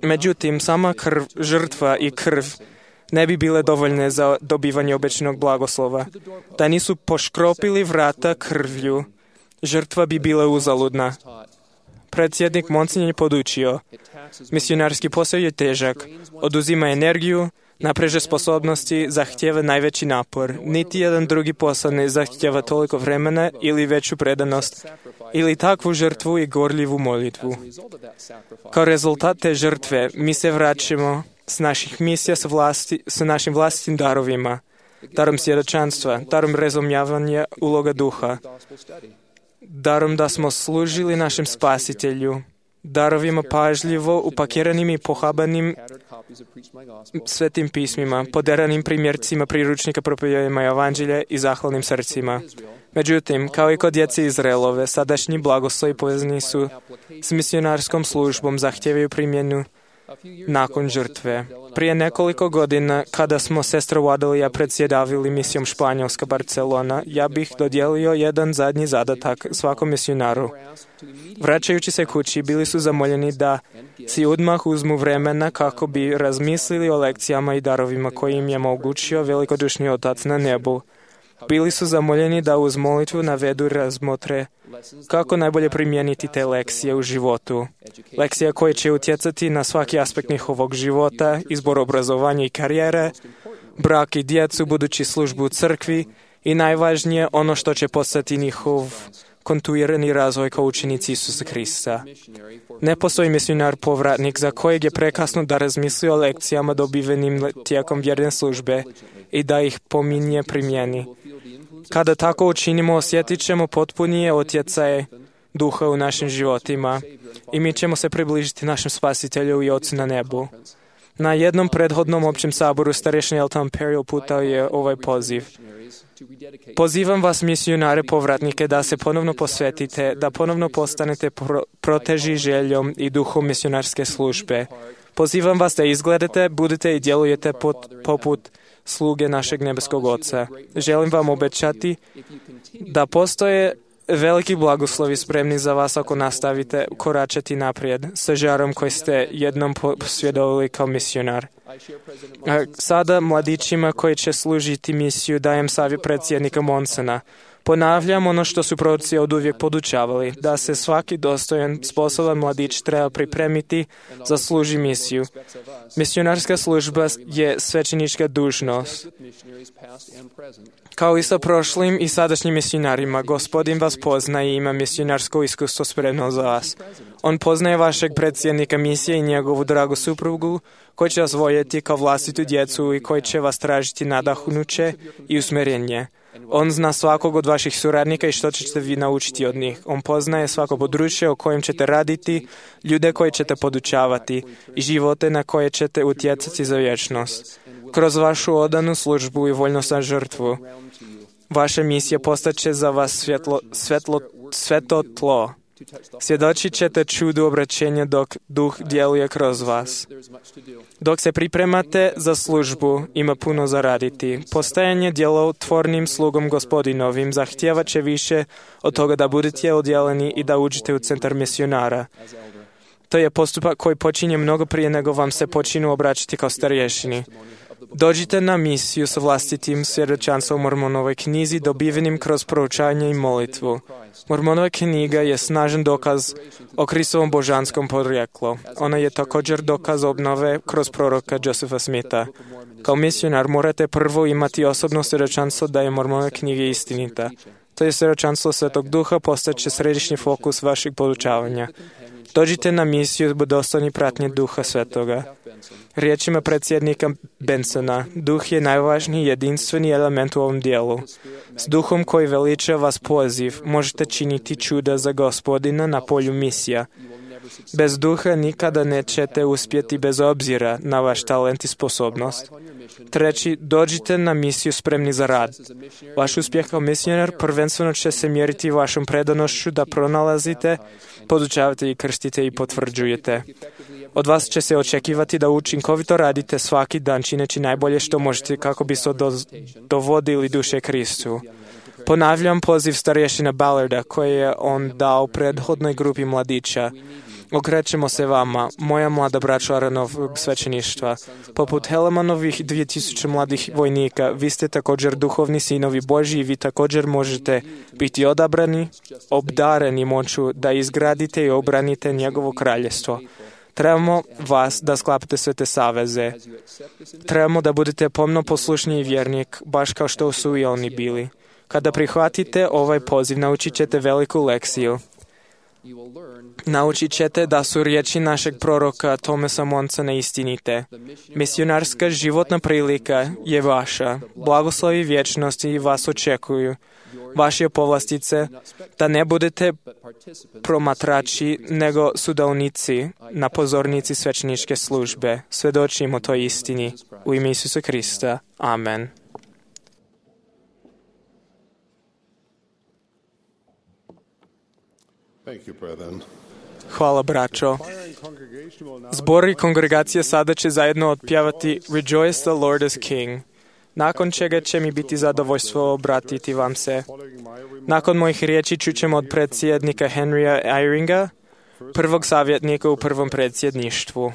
Međutim, sama žrtva i krv ne bi bile dovoljne za dobivanje obećanog blagoslova. Da nisu poškropili vrata krvlju, žrtva bi bila uzaludna. Predsjednik Monsinje je podučio, misionarski posao je težak, oduzima energiju, napreže sposobnosti, zahtjeva najveći napor. Niti jedan drugi posao ne zahtjeva toliko vremena ili veću predanost, ili takvu žrtvu i gorljivu molitvu. Kao rezultat te žrtve, mi se vraćamo s naših misija sa našim vlastitim darovima, darom svjedočanstva, darom razumijevanja uloga duha, darom da smo služili našem spasitelju, darovima pažljivo upakiranim i pohabanim svetim pismima, poderanim primjercima priručnika propovjedanja evanđelja i zahvalnim srcima. Međutim, kao i kod djece Izraelove, sadašnji blagoslovi povezani su s misionarskom službom, zahtijevaju primjenu nakon žrtve. Prije nekoliko godina, kada smo sestra Wadel i ja predsjedavili misijom Španjolska Barcelona, ja bih dodijelio jedan zadnji zadatak svakom misionaru. Vraćajući se kući, bili su zamoljeni da si odmah uzmu vremena kako bi razmislili o lekcijama i darovima koje im je omogućio velikodušni Otac na nebu. Bili su zamoljeni da uz molitvu navedu i razmotre kako najbolje primijeniti te lekcije u životu. Lekcije koje će utjecati na svaki aspekt njihovog života, izbor obrazovanja i karijere, brak i djecu, budući službu u crkvi i najvažnije ono što će postati njihov kontinuirani razvoj kao učenici Isusa Krista. Ne postoji misionar povratnik za kojeg je prekasno da razmisli o lekcijama dobivenim tijekom vjerne službe i da ih pominje primjeni. Kada tako učinimo, osjetit ćemo potpunije utjecaje duha u našim životima i mi ćemo se približiti našem Spasitelju i Ocu na nebu. Na jednom prethodnom općem saboru starešni Elton Perry uputao je ovaj poziv. Pozivam vas, misionare povratnike, da se ponovno posvetite, da ponovno postanete proteži željom i duhom misionarske službe. Pozivam vas da izgledate, budete i djelujete poput sluge našeg nebeskog Oca. Želim vam obećati da postoje veliki blagoslovi spremni za vas ako nastavite koračati naprijed sa žarom koji ste jednom posvjedovala kao misionar. Sada mladićima koji će služiti misiju dajem savjet predsjednika Monsona. Ponavljam ono što su proroci oduvijek podučavali, da se svaki dostojan, sposoban mladić treba pripremiti za služi misiju. Misionarska služba je svećenička dužnost. Kao i sa prošlim i sadašnjim misionarima, Gospodin vas poznaje i ima misionarsko iskustvo spremno za vas. On poznaje vašeg predsjednika misije i njegovu dragu suprugu, koji će vas voljeti kao vlastitu djecu i koji će vas tražiti nadahnuće i usmjerenje. On zna svakog od vaših suradnika i što ćete vi naučiti od njih. On poznaje svako područje o kojem ćete raditi, ljude koje ćete podučavati i živote na koje ćete utjecati za vječnost. Kroz vašu odanu službu i voljnost na žrtvu, vaša misija postaće za vas sveto tlo. Svjedočit ćete čudu obraćenja dok duh djeluje kroz vas. Dok se pripremate za službu, ima puno za raditi. Postajanje djelotvornim slugom Gospodinovim zahtijevat će više od toga da budete odjeleni i da uđete u centar misionara. To je postupak koji počinje mnogo prije nego vam se počinu obraćati kao starješini. Dođite na misiju sa vlastitim svjedočanstvom u Mormonovoj knjizi dobivenim kroz proučanje i molitvu. Mormonova knjiga je snažan dokaz o Kristovom božanskom porijeklu. Ona je također dokaz obnove kroz proroka Josepha Smitha. Kao misionar morate prvo imati osobno svjedočanstvo da je Mormonova knjiga istinita. To je svjedočanstvo Svetog Duha postaće središnji fokus vašeg podučavanja. Dođite na misiju dostojni pratnje Duha Svetoga. Riječima predsjednika Bensona, duh je najvažniji jedinstveni element u ovom dijelu. S duhom koji veliča vas poziv, možete činiti čuda za Gospodina na polju misija. Bez duha nikada nećete uspjeti bez obzira na vaš talent i sposobnost. Treći, dođite na misiju spremni za rad. Vaš uspjeh kao misionar prvenstveno će se mjeriti vašom predanošću da pronalazite, podučavate i krstite i potvrđujete. Od vas će se očekivati da učinkovito radite svaki dan čineći najbolje što možete kako biste dovodili duše Kristu. Ponavljam poziv starješina Ballarda koje je on dao prethodnoj grupi mladića. Okrećemo se vama, moja mlada braćo Aranovog svećeništva. Poput Helemanovih 2000 mladih vojnika, vi ste također duhovni sinovi Božji i vi također možete biti odabrani, obdareni moću da izgradite i obranite njegovo kraljestvo. Trebamo vas da sklapate sve te saveze. Trebamo da budete pomno poslušni i vjernik, baš kao što su i oni bili. Kada prihvatite ovaj poziv, naučit ćete veliku lekciju. Naučit ćete da su riječi našeg proroka Thomasa Monsona istinite. Misionarska životna prilika je vaša. Blagoslovi vječnosti vas očekuju. Vaše povlastice da ne budete promatrači, nego sudaonici na pozornici svećeničke službe. Svjedočimo toj istini. U ime Isusa Krista. Amen. Hvala, braćo. Zbor i kongregacija sada će zajedno otpjevati Rejoice the Lord is King. Nakon čega će mi biti zadovoljstvo obratiti vam se. Nakon mojih riječi čućemo od predsjednika Henrya Eyringa, prvog savjetnika u prvom predsjedništvu.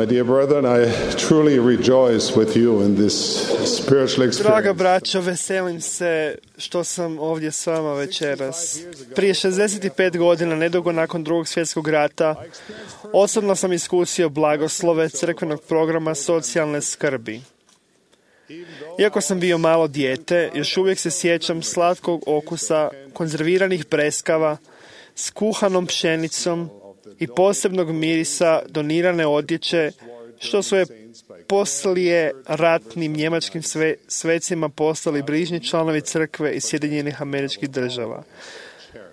My dear brethren, I truly rejoice with you in this spiritual Draga experience. braćo, veselim se što sam ovdje s vama večeras. Prije 65 godina, nedugo nakon Drugog svjetskog rata, osobno sam iskusio blagoslove crkvenog programa socijalne skrbi. Iako sam bio malo dijete, još uvijek se sjećam slatkog okusa konzerviranih breskava s kuhanom pšenicom i posebnog mirisa donirane odjeće, što su je poslije ratnim njemačkim svecima postali bližnji članovi crkve iz Sjedinjenih Američkih Država.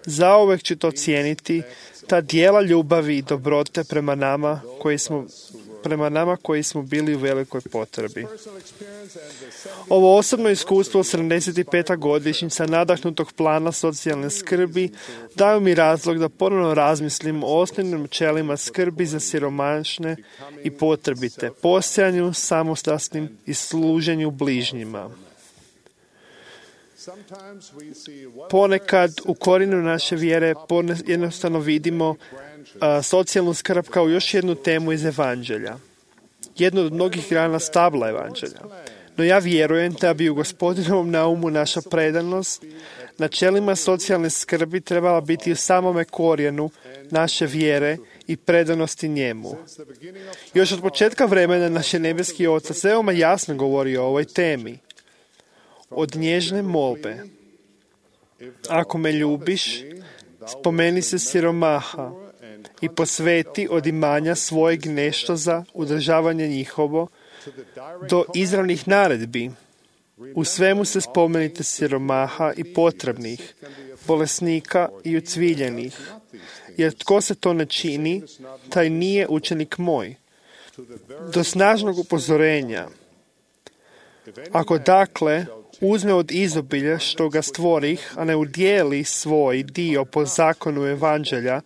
Zauvek ću to cijeniti, ta dijela ljubavi i dobrote prema nama koji smo bili u velikoj potrebi. Ovo osobno iskustvo 75. godišnjica nadahnutog plana socijalne skrbi daju mi razlog da ponovno razmislim o osnovnim načelima skrbi za siromašne i potrebite, postojanju, samostalnim i služenju bližnjima. Ponekad u korijenu naše vjere jednostavno vidimo socijalnu skrb kao još jednu temu iz Evanđelja. Jednu od mnogih grana stabla Evanđelja. No ja vjerujem da bi u Gospodinovom naumu naša predanost načelima socijalne skrbi trebala biti u samome korijenu naše vjere i predanosti njemu. Još od početka vremena naš je nebeski Otac veoma jasno govori o ovoj temi. Od nježne molbe. Ako me ljubiš, spomeni se siromaha i posveti od imanja svojeg nešto za udržavanje njihovo, do izravnih naredbi. U svemu se spomenite siromaha i potrebnih, bolesnika i ucviljenih, jer tko se to ne čini, taj nije učenik moj. Do snažnog upozorenja. Ako dakle uzme od izobilja što ga stvorih, a ne udijeli svoj dio po zakonu Evanđelja,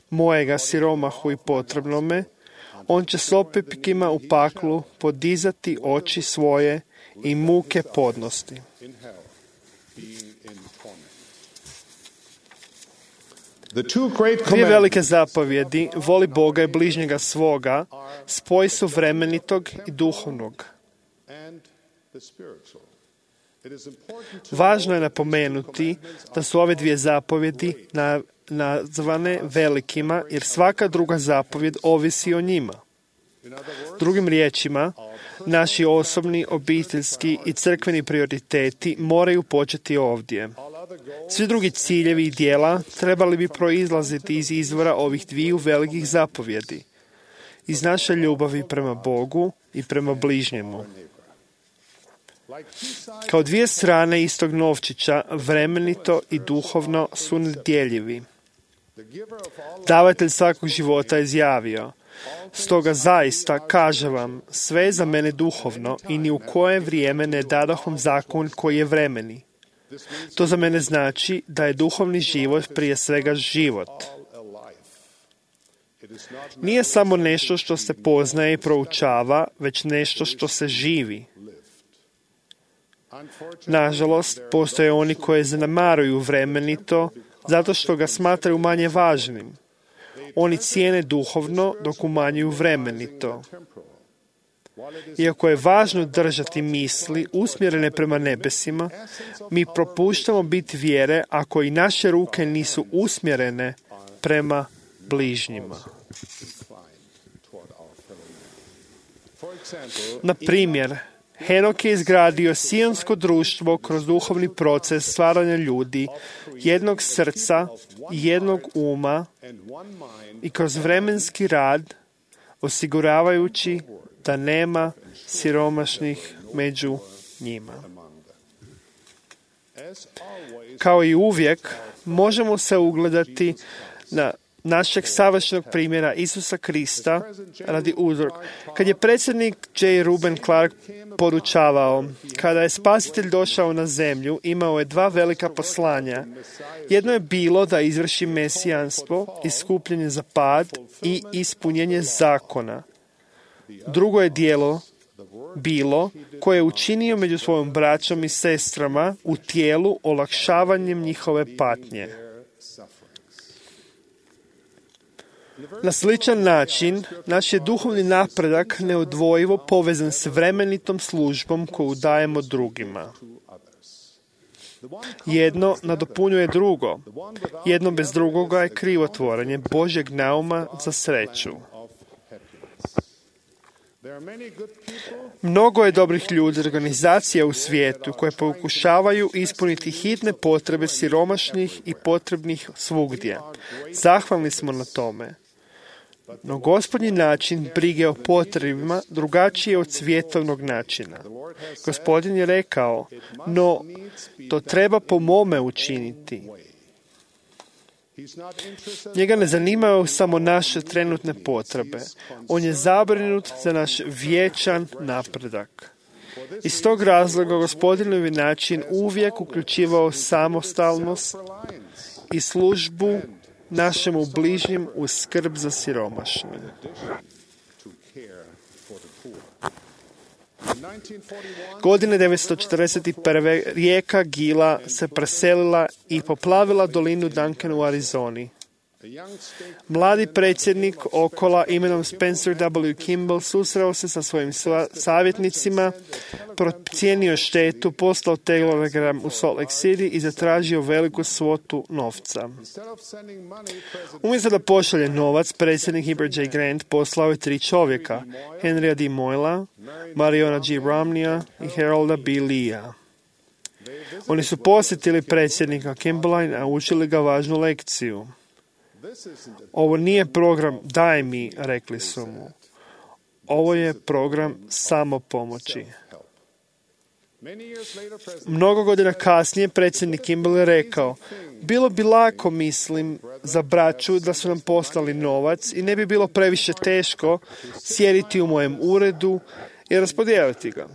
mojega siromahu i potrebnome, on će s opipkima u paklu podizati oči svoje i muke podnosti. Dvije velike zapovjedi, voli Boga i bližnjega svoga, spoj su vremenitog i duhovnog. Važno je napomenuti da su ove dvije zapovjedi nazvane velikima, jer svaka druga zapovjed ovisi o njima. Drugim riječima, naši osobni, obiteljski i crkveni prioriteti moraju početi ovdje. Svi drugi ciljevi i djela trebali bi proizlaziti iz izvora ovih dviju velikih zapovjedi, iz naše ljubavi prema Bogu i prema bližnjemu. Kao dvije strane istog novčića, vremenito i duhovno su nedjeljivi. Davatelj svakog života je izjavio: stoga zaista, kažem vam, sve je za mene duhovno i ni u koje vrijeme ne dadahom zakon koji je vremeni. To za mene znači da je duhovni život prije svega život. Nije samo nešto što se poznaje i proučava, već nešto što se živi. Nažalost, postoje oni koji zanemaruju vremenito zato što ga smatraju manje važnim. Oni cijene duhovno dok umanjuju vremenito. Iako je važno držati misli usmjerene prema nebesima, mi propuštamo biti vjere ako i naše ruke nisu usmjerene prema bližnjima. Na primjer, Henok je izgradio sionsko društvo kroz duhovni proces stvaranja ljudi, jednog srca, jednog uma i kroz vremenski rad, osiguravajući da nema siromašnih među njima. Kao i uvijek, možemo se ugledati na našeg savršenog primjera Isusa Krista radi uzroka. Kad je predsjednik J. Reuben Clark podučavao, kada je Spasitelj došao na zemlju, imao je dva velika poslanja. Jedno je bilo da izvrši mesijanstvo, iskupljenje za pad i ispunjenje zakona. Drugo je djelo bilo koje je učinio među svojom braćom i sestrama u tijelu olakšavanjem njihove patnje. Na sličan način, naš je duhovni napredak neodvojivo povezan s vremenitom službom koju dajemo drugima. Jedno nadopunjuje drugo. Jedno bez drugoga je krivotvorenje Božjeg nauma za sreću. Mnogo je dobrih ljudi, organizacija u svijetu koje pokušavaju ispuniti hitne potrebe siromašnih i potrebnih svugdje. Zahvalni smo na tome. No Gospodnji način brige o potrebima drugačiji je od svjetovnog načina. Gospodin je rekao, no to treba po mome učiniti. Njega ne zanimaju samo naše trenutne potrebe. On je zabrinut za naš vječan napredak. Iz tog razloga Gospodinovi način uvijek uključivao samostalnost i službu našemu bližnjem uz skrb za siromašne. Godine 1941. rijeka Gila se preselila i poplavila dolinu Duncan u Arizoni. Mladi predsjednik Okola imenom Spencer W. Kimball susreo se sa svojim savjetnicima, procijenio štetu, poslao telegram u Salt Lake City i zatražio veliku svotu novca. Umjesto da pošalje novac, predsjednik Heber J. Grant poslao je 3 čovjeka, Henrya D. Moyla, Mariona G. Romneya i Harolda B. Leea. Oni su posjetili predsjednika Kimballa i naučili ga važnu lekciju. Ovo nije program daj mi, rekli su mu. Ovo je program samopomoći. Mnogo godina kasnije predsjednik Kimball je rekao, bilo bi lako, mislim, za braću da su nam poslali novac i ne bi bilo previše teško sjediti u mojem uredu i raspodijeliti ga.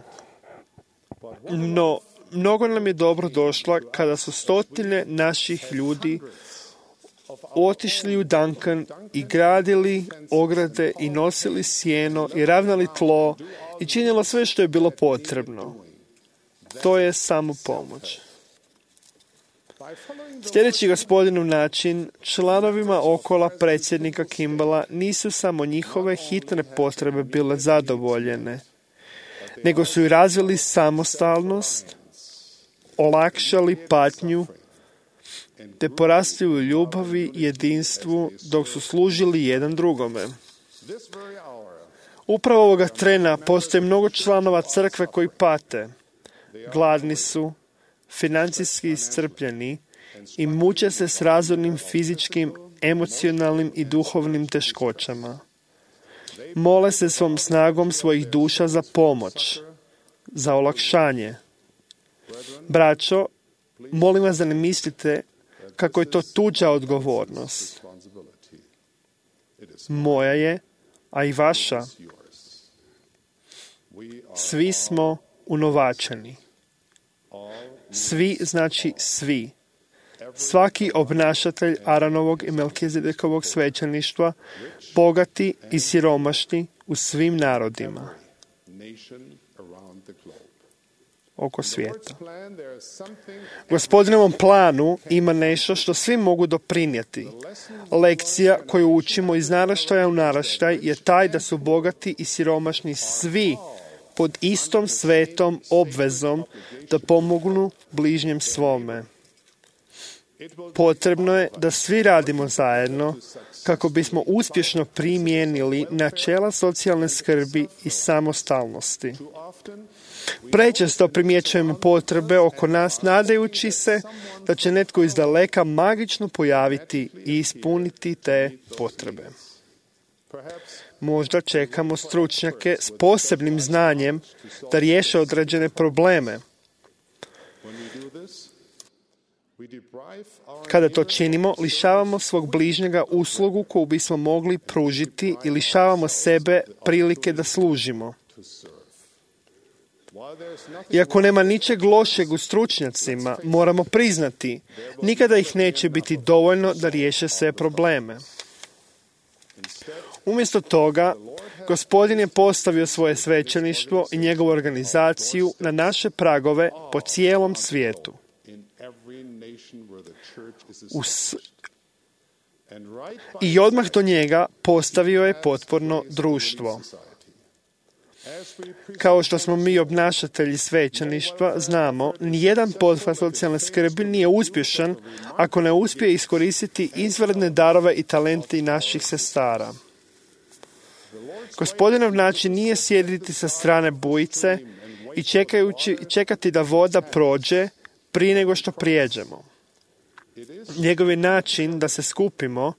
No, mnogo nam je dobro došla kada su stotine naših ljudi otišli u Duncan i gradili ograde i nosili sjeno i ravnali tlo i činilo sve što je bilo potrebno. To je samo pomoć. Sljedeći Gospodinov način, članovima Okola predsjednika Kimballa nisu samo njihove hitne potrebe bile zadovoljene, nego su i razvili samostalnost, olakšali patnju, te porasli u ljubavi i jedinstvu dok su služili jedan drugome. Upravo ovoga trena postoje mnogo članova crkve koji pate. Gladni su, financijski iscrpljeni i muče se s razornim fizičkim, emocionalnim i duhovnim teškoćama. Mole se svom snagom svojih duša za pomoć, za olakšanje. Braćo, molim vas da ne mislite kako je to tuđa odgovornost. Moja je, a i vaša. Svi smo unovačeni. Svi znači svi. Svaki obnašatelj Aronovog i Melkizedekovog svećeništva, bogati i siromašni u svim narodima oko svijeta. Gospodinovom planu ima nešto što svi mogu doprinijeti. Lekcija koju učimo iz naraštaja u naraštaj je taj da su bogati i siromašni svi pod istom svetom obvezom da pomognu bližnjem svome. Potrebno je da svi radimo zajedno kako bismo uspješno primijenili načela socijalne skrbi i samostalnosti. Prečesto primjećujemo potrebe oko nas nadajući se da će netko iz daleka magično pojaviti i ispuniti te potrebe. Možda čekamo stručnjake s posebnim znanjem da riješe određene probleme. Kada to činimo, lišavamo svog bližnjega uslugu koju bismo mogli pružiti i lišavamo sebe prilike da služimo. Iako nema ničeg lošeg u stručnjacima, moramo priznati, nikada ih neće biti dovoljno da riješe sve probleme. Umjesto toga, Gospodin je postavio svoje svećeništvo i njegovu organizaciju na naše pragove po cijelom i odmah do njega postavio je potporno društvo. Kao što smo mi obnašatelji svećeništva, znamo, nijedan pothvat socijalne skrbi nije uspješan ako ne uspije iskoristiti izvanredne darove i talente naših sestara. Gospodinov način nije sjediti sa strane bujice i čekati da voda prođe prije nego što prijeđemo. Njegov je način da se skupimo,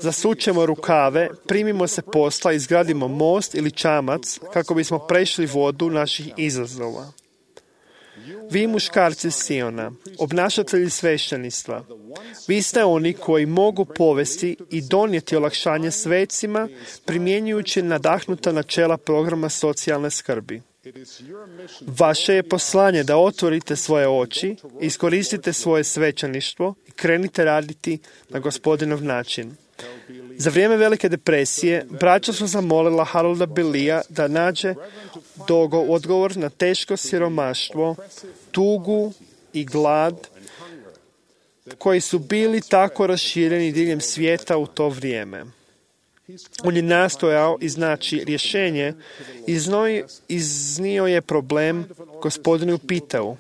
zasučemo rukave, primimo se posla, izgradimo most ili čamac kako bismo prešli vodu naših izazova. Vi muškarci Siona, obnašatelji svešteništva, vi ste oni koji mogu povesti i donijeti olakšanje svecima primjenjujući nadahnuta načela programa socijalne skrbi. Vaše je poslanje da otvorite svoje oči, iskoristite svoje svećeništvo i krenite raditi na Gospodinov način. Za vrijeme Velike depresije, braća su zamolila Harolda Billija da nađe odgovor na teško siromaštvo, tugu i glad koji su bili tako rašireni diljem svijeta u to vrijeme. On je nastojao iznaći rješenje, iznio je problem Gospodinu pitao,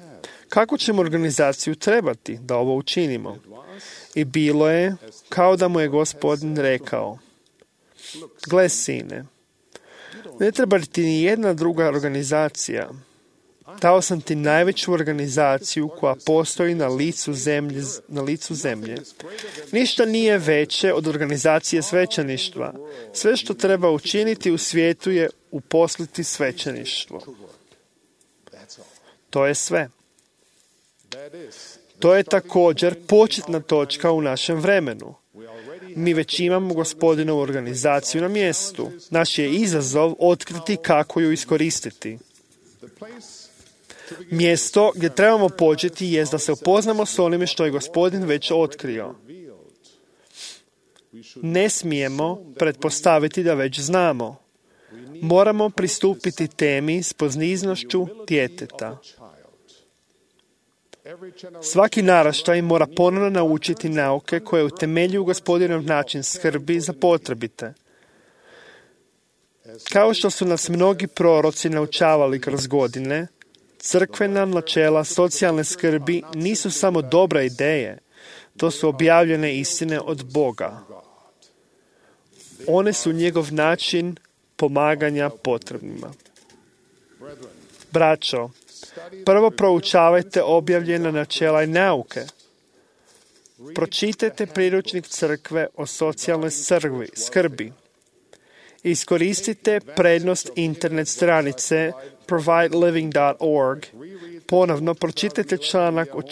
kako ćemo organizaciju trebati da ovo učinimo? I bilo je kao da mu je Gospodin rekao, gle sine, ne treba ti ni jedna druga organizacija. Dao sam ti najveću organizaciju koja postoji na licu zemlje. Ništa nije veće od organizacije svećeništva. Sve što treba učiniti u svijetu je uposliti svećeništvo. To je sve. To je također početna točka u našem vremenu. Mi već imamo Gospodinovu organizaciju na mjestu. Naš je izazov otkriti kako ju iskoristiti. Mjesto gdje trebamo početi jest da se upoznamo s onime što je Gospodin već otkrio. Ne smijemo pretpostaviti da već znamo. Moramo pristupiti temi s poniznošću djeteta. Svaki naraštaj mora ponovno naučiti nauke koje utemeljuju Gospodinov način skrbi za potrebite. Kao što su nas mnogi proroci naučavali kroz godine, crkvena načela socijalne skrbi nisu samo dobre ideje, to su objavljene istine od Boga. One su njegov način pomaganja potrebnima. Braćo, prvo proučavajte objavljena načela i nauke. Pročitajte priručnik crkve o socijalnoj skrbi. Iskoristite prednost internet stranice provideliving.org. Ponovno pročitajte članak o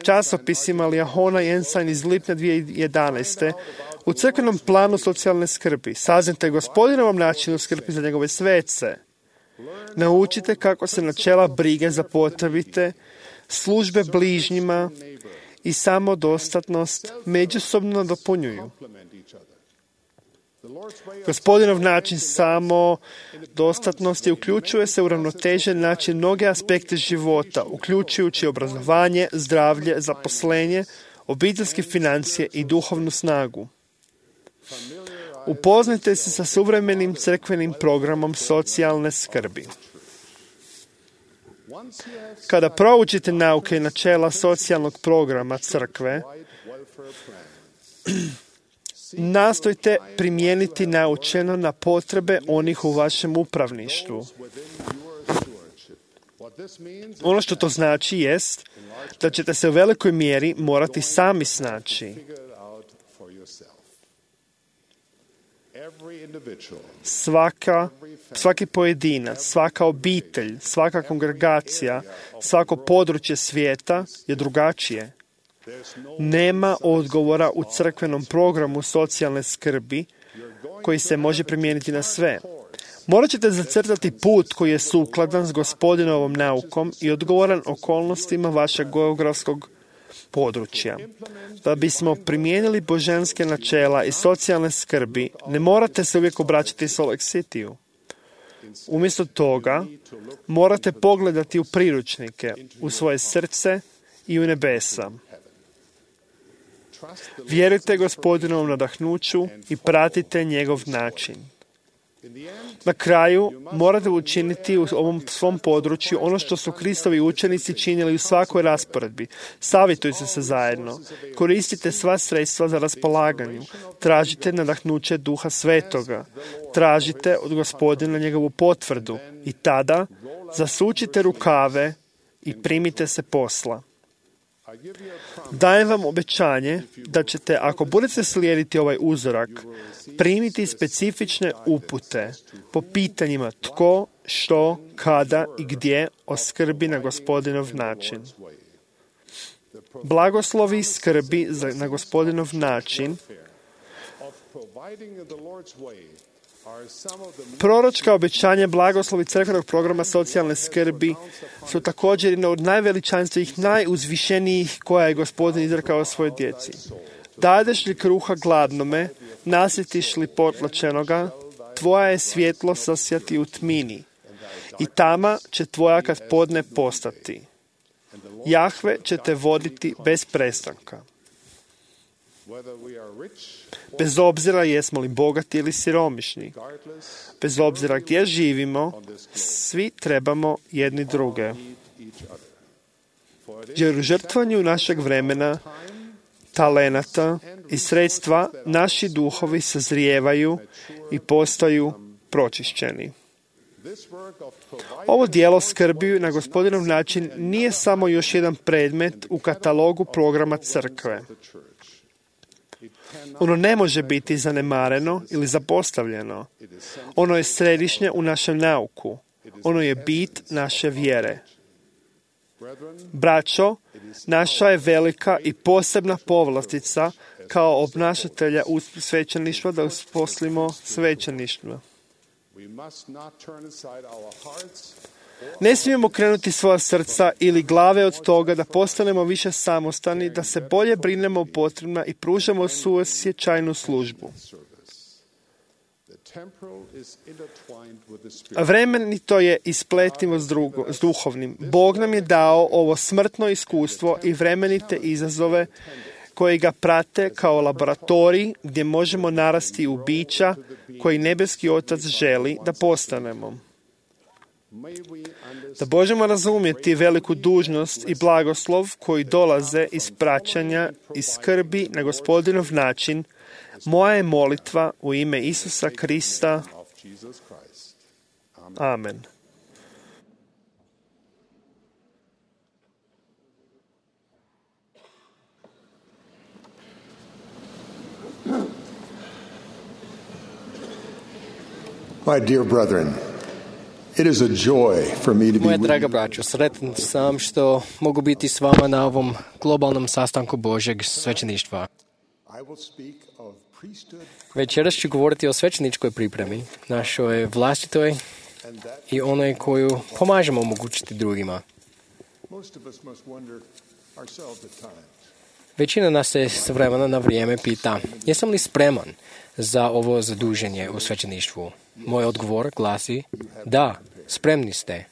časopisima Liahona i Ensign iz lipnja 2011. u crkvenom planu socijalne skrbi. Saznajte Gospodinovom načinu skrbi za njegove svece. Naučite kako se načela brige za potrebite, službe bližnjima i samodostatnost međusobno dopunjuju. Gospodinov način samodostatnosti uključuje se u ravnotežen način mnoge aspekte života, uključujući obrazovanje, zdravlje, zaposlenje, obiteljske financije i duhovnu snagu. Upoznajte se sa suvremenim crkvenim programom socijalne skrbi. Kada proučite nauke i načela socijalnog programa crkve, nastojte primijeniti naučeno na potrebe onih u vašem upravništvu. Ono što to znači jest da ćete se u velikoj mjeri morati sami snaći. Svaki pojedinac, svaka obitelj, svaka kongregacija, svako područje svijeta je drugačije. Nema odgovora u crkvenom programu socijalne skrbi koji se može primijeniti na sve. Morat ćete zacrtati put koji je sukladan s Gospodinovom naukom i odgovoran okolnostima vašeg geografskog područja. Da bismo primijenili božanske načela i socijalne skrbi, ne morate se uvijek obraćati Salt Lake City-u. Umjesto toga, morate pogledati u priručnike, u svoje srce i u nebesa. Vjerujte Gospodinovom nadahnuću i pratite njegov način. Na kraju morate učiniti u ovom svom području ono što su Kristovi učenici činili u svakoj rasporedbi. Savjetujte se zajedno. Koristite sva sredstva za raspolaganju. Tražite nadahnuće Duha Svetoga. Tražite od Gospodina njegovu potvrdu i tada zasučite rukave i primite se posla. Dajem vam obećanje da ćete, ako budete slijediti ovaj uzorak, primiti specifične upute po pitanjima tko, što, kada i gdje oskrbi na Gospodinov način. Blagoslovi skrbi na Gospodinov način. Proročka obećanja blagoslovi crkvenog programa socijalne skrbi su također jedna od najveličanstvenih, najuzvišenijih koja je Gospodin izrekao svojoj djeci. Dadeš li kruha gladnome, nasjetiš li potlačenoga, tvoja je svjetlo sasjati u tmini i tama će tvoja kad podne postati. Jahve će te voditi bez prestanka. Bez obzira jesmo li bogati ili siromašni, bez obzira gdje živimo, svi trebamo jedni druge. Jer u žrtvanju našeg vremena, talenata i sredstva naši duhovi sazrijevaju i postaju pročišćeni. Ovo djelo skrbi na Gospodinov način nije samo još jedan predmet u katalogu programa crkve. Ono ne može biti zanemareno ili zapostavljeno. Ono je središnje u našem nauku. Ono je bit naše vjere. Braćo, naša je velika i posebna povlastica kao obnašatelja svećeništva da usposlimo svećeništvo. Ne smijemo krenuti svoja srca ili glave od toga da postanemo više samostani, da se bolje brinemo o potrebama i pružamo suosjećajnu službu. Vremenito je ispletivo s duhovnim. Bog nam je dao ovo smrtno iskustvo i vremenite izazove koji ga prate kao laboratorij gdje možemo narasti u bića koji nebeski Otac želi da postanemo. Da možemo razumjeti veliku dužnost i blagoslov koji dolaze iz praćanja i skrbi na Gospodinov način, moja je molitva u ime Isusa Krista. Amen. My dear brethren, it is a joy for me to be Moja with draga you. braćo, sretan sam što mogu biti s vama na ovom globalnom sastanku Božjeg svećeništva. I will speak of priesthood Večeras ću govoriti o svećeničkoj pripremi, našoj vlastitoj i onoj koju pomažemo omogućiti drugima. Most of us must wonder ourselves at times. Većina nas se s vremena na vrijeme pita, jesam li spreman za ovo zaduženje u svećeništvu? Moj odgovor glasi, da, spremni ste.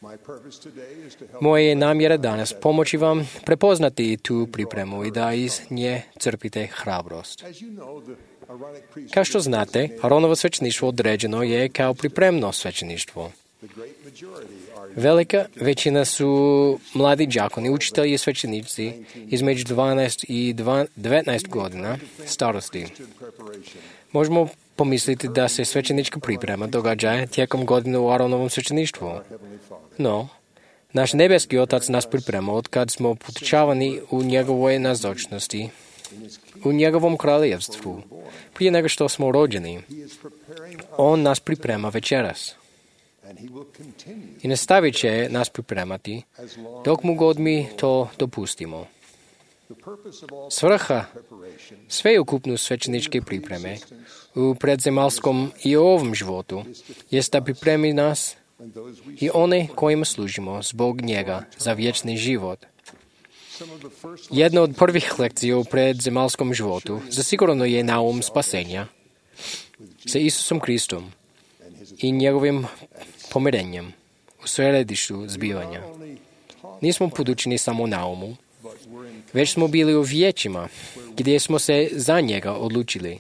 My purpose today is to help Moja je namjera danas pomoći vam prepoznati tu pripremu i da iz nje crpite hrabrost. as you know the Aaronic priesthood. Kao što znate, Aronovo svećeništvo određeno je kao pripremno svećeništvo. The great majority are Velika većina su mladi đakoni, učitelji i svećenici između 12 i 19 godina starosti. preparation. Možemo pomisliti da se svećenička priprema događa tijekom godine u Aronovom svećeništvu. No, naš nebeski Otac nas priprema od kad smo potučavani u njegovoj nazočnosti, u njegovom kraljevstvu. Prije nego što smo rođeni, on nas priprema večeras. And he will continue I nastavit će nas pripremati dok mu god mi to dopustimo. the purpose of all Svrha preparation sveukupnu svećeničke pripreme u predzemalskom i ovom životu jest da pripremi nas and those we i one kojima služimo zbog njega za vječni život. some of the first Jedna od prvih lekcija u predzemalskom životu zasigurno je naum spasenja sa Isusom Kristom i njegovim pomirenjem u središtu zbivanja. Nismo podučeni samo naumu, već smo bili u vijećima gdje smo se za njega odlučili.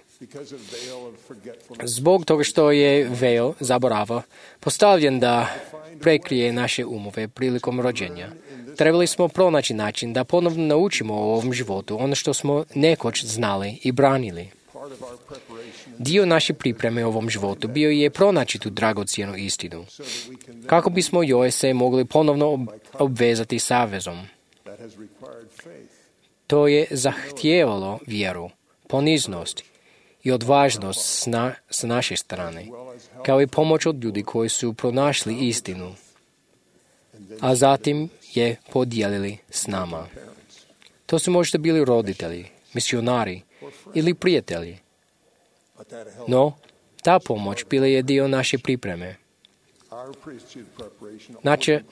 Zbog toga što je veil zaborava postavljen da prekrije naše umove prilikom rođenja, trebali smo pronaći način da ponovno naučimo u ovom životu ono što smo nekoć znali i branili. Dio naše pripreme u ovom životu bio je pronaći tu dragocjenu istinu, kako bismo joj se mogli ponovno obvezati savezom. To je zahtijevalo vjeru, poniznost i odvažnost s naše strane, kao i pomoć od ljudi koji su pronašli istinu, a zatim je podijelili s nama. To su možda bili roditelji, misionari ili prijatelji. No, ta pomoć bila je dio naše pripreme.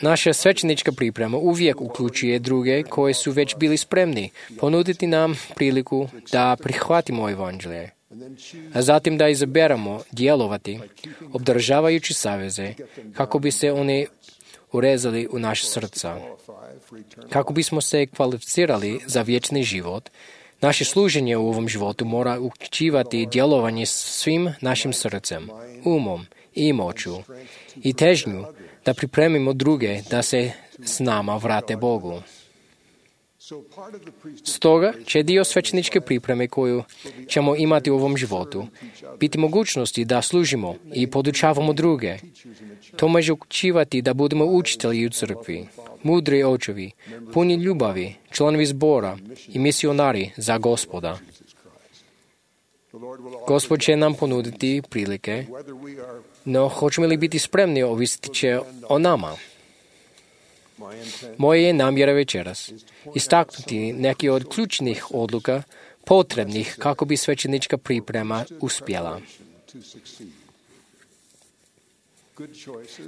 Naša svećenička priprema uvijek uključuje druge koji su već bili spremni ponuditi nam priliku da prihvatimo evanđelje, a zatim da izaberemo djelovati, obdržavajući saveze, kako bi se oni urezali u naše srca. Kako bismo se kvalificirali za vječni život, naše služenje u ovom životu mora uključivati djelovanje svim našim srcem, umom i moću i težnju da pripremimo druge da se s nama vrate Bogu. Stoga će dio svećeničke pripreme koju ćemo imati u ovom životu biti mogućnosti da služimo i podučavamo druge. To može uključivati da budemo učitelji u crkvi, mudri očevi, puni ljubavi, članovi zbora i misionari za Gospoda. Gospod će nam ponuditi prilike, no hoćemo li biti spremni ovisiti će o nama. Moje je namjera večeras istaknuti neki od ključnih odluka potrebnih kako bi svećenička priprema uspjela.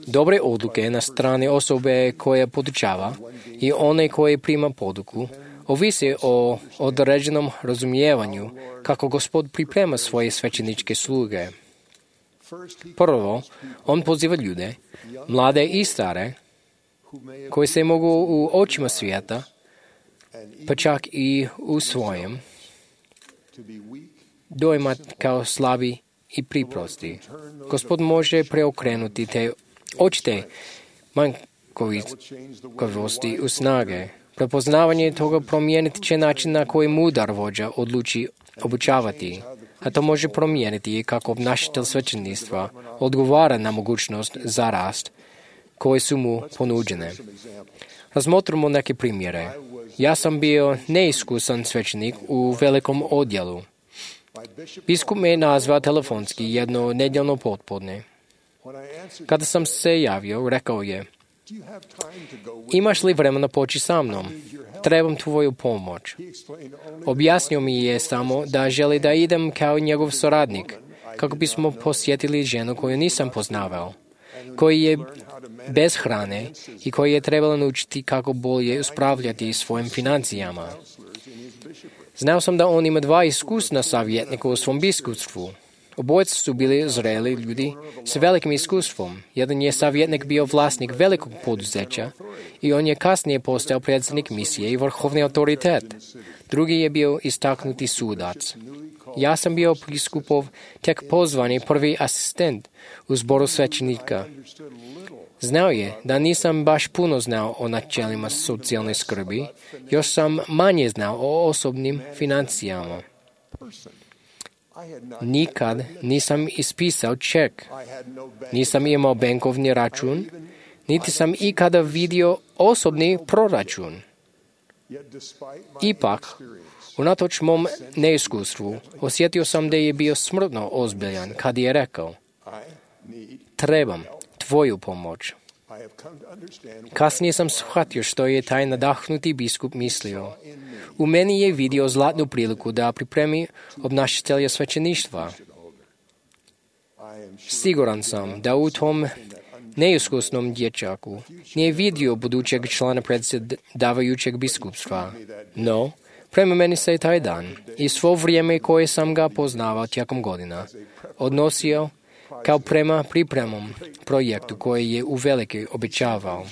Dobre odluke na strani osobe koja podučava i one koje prima poduku ovise o određenom razumijevanju kako Gospod priprema svoje svećeničke sluge. Prvo, on poziva ljude, mlade i stare, koji se mogu u očima svijeta, pa čak i u svojem, dojmat kao slabi i priprosti. Gospod može preokrenuti te očite manjkavosti u snage. Prepoznavanje toga promijeniti će način na koji mudar vođa odluči obučavati, a to može promijeniti i kako obnašatelj svećeništva odgovara na mogućnost za rast koje su mu ponuđene. Razmotrimo neke primjere. Ja sam bio neiskusan svećenik u velikom odjelu. Biskup me je nazvao telefonski jedno nedjeljno popodne. Kada sam se javio, rekao je: imaš li vremena poći sa mnom? Trebam tvoju pomoć. Objasnio mi je samo da želi da idem kao njegov suradnik, kako bismo posjetili ženu koju nisam poznavao, koji je bez hrane i koji je trebala naučiti kako bolje uspravljati svojim financijama. Znao sam da on ima 2 iskusna savjetnika u svom biskupstvu. Obojica su bili zreli ljudi s velikim iskustvom. Jedan je savjetnik bio vlasnik velikog poduzeća i on je kasnije postao predsjednik misije i vrhovni autoritet. Drugi je bio istaknuti sudac. Ja sam bio biskupov tek pozvani prvi asistent u zboru svećenika. Znao je da nisam baš puno znao o načelima socijalne skrbi, još sam manje znao o osobnim financijama. Nikad nisam ispisao ček, nisam imao bankovni račun, niti sam ikada vidio osobni proračun. Ipak, unatoč mom neiskustvu, osjetio sam da je bio smrtno ozbiljan kad je rekao: trebam tvoju pomoć. Kasnije sam shvatio što je taj nadahnuti biskup mislio. U meni je vidio zlatnu priliku da pripremi obnašatelja svećeništva. Siguran sam da u tom neiskusnom dječaku nije vidio budućeg člana predsjedavajućeg biskupstva. No, prema meni se taj dan i svo vrijeme koje sam ga poznavao tijekom godina odnosio kao prema pripremom projektu koji je uvelike obećavao.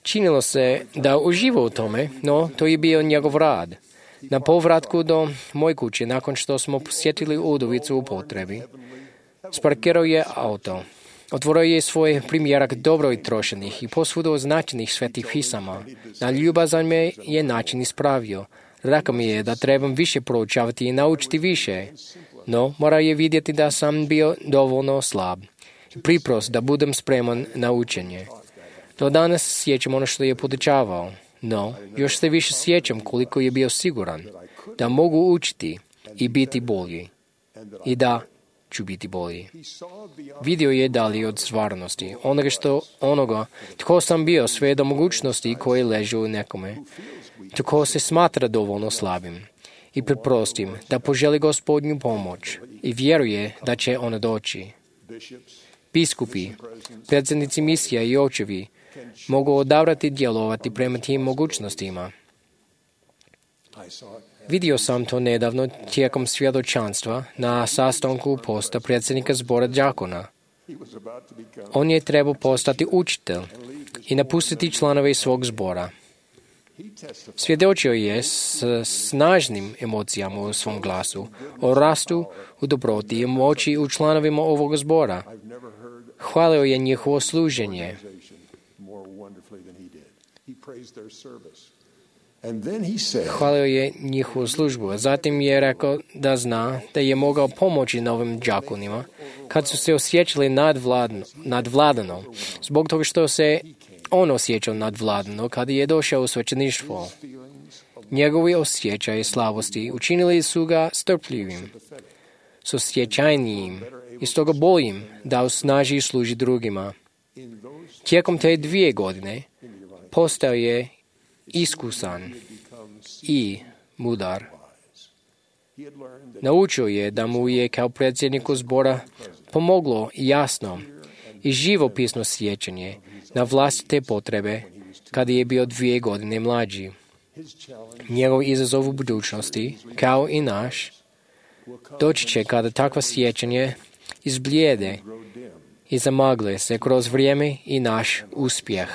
Činilo se da uživa u tome, no to je bio njegov rad. Na povratku do moje kuće, nakon što smo posjetili udovicu u potrebi, sparkirao je auto. Otvorio je svoj primjerak dobro trošenih i posvuda označenih svetih pisama. Na ljubazan me je način ispravio. Rekao mi je da trebam više proučavati i naučiti više. No, morao je vidjeti da sam bio dovoljno slab. Priprost da budem spreman na učenje. Do danas sjećam ono što je podučavao. No, još se više sjećam koliko je bio siguran da mogu učiti i biti bolji. I da ću biti bolji. Vidio je dalje od stvarnosti, onoga tko sam bio, sve do mogućnosti koje ležu u nekome, tko se smatra dovoljno slabim. I preprostim da poželi Gospodnju pomoć i vjeruje da će ona doći. Biskupi, predsjednici misija i očevi mogu odabrati djelovati prema tim mogućnostima. Vidio sam to nedavno tijekom svjedočanstva na sastanku posta predsjednika zbora đakona. On je trebao postati učitelj i napustiti članove svog zbora. Svjedočio je s snažnim emocijama u svom glasu o rastu u dobroti i moći u članovima ovog zbora. Hvalio je njihovo služenje. Hvalio je njihovu službu, a zatim je rekao da zna da je mogao pomoći novim đakonima kad su se osjećali nadvladano, zbog toga što se on osjećao nadvladano kada je došao u svećeništvo. Njegovi osjećaji slabosti učinili su ga strpljivim, susjećajnijim i stoga boljim da osnaži i služi drugima. Tijekom te 2 godine postao je iskusan i mudar. Naučio je da mu je kao predsjedniku zbora pomoglo jasno i živopisno sjećanje na vlastite potrebe kada je bio 2 godine mlađi. Njegov izazov u budućnosti, kao i naš, doći će kada takva sjećanje izblijede i zamagle se kroz vrijeme i naš uspjeh.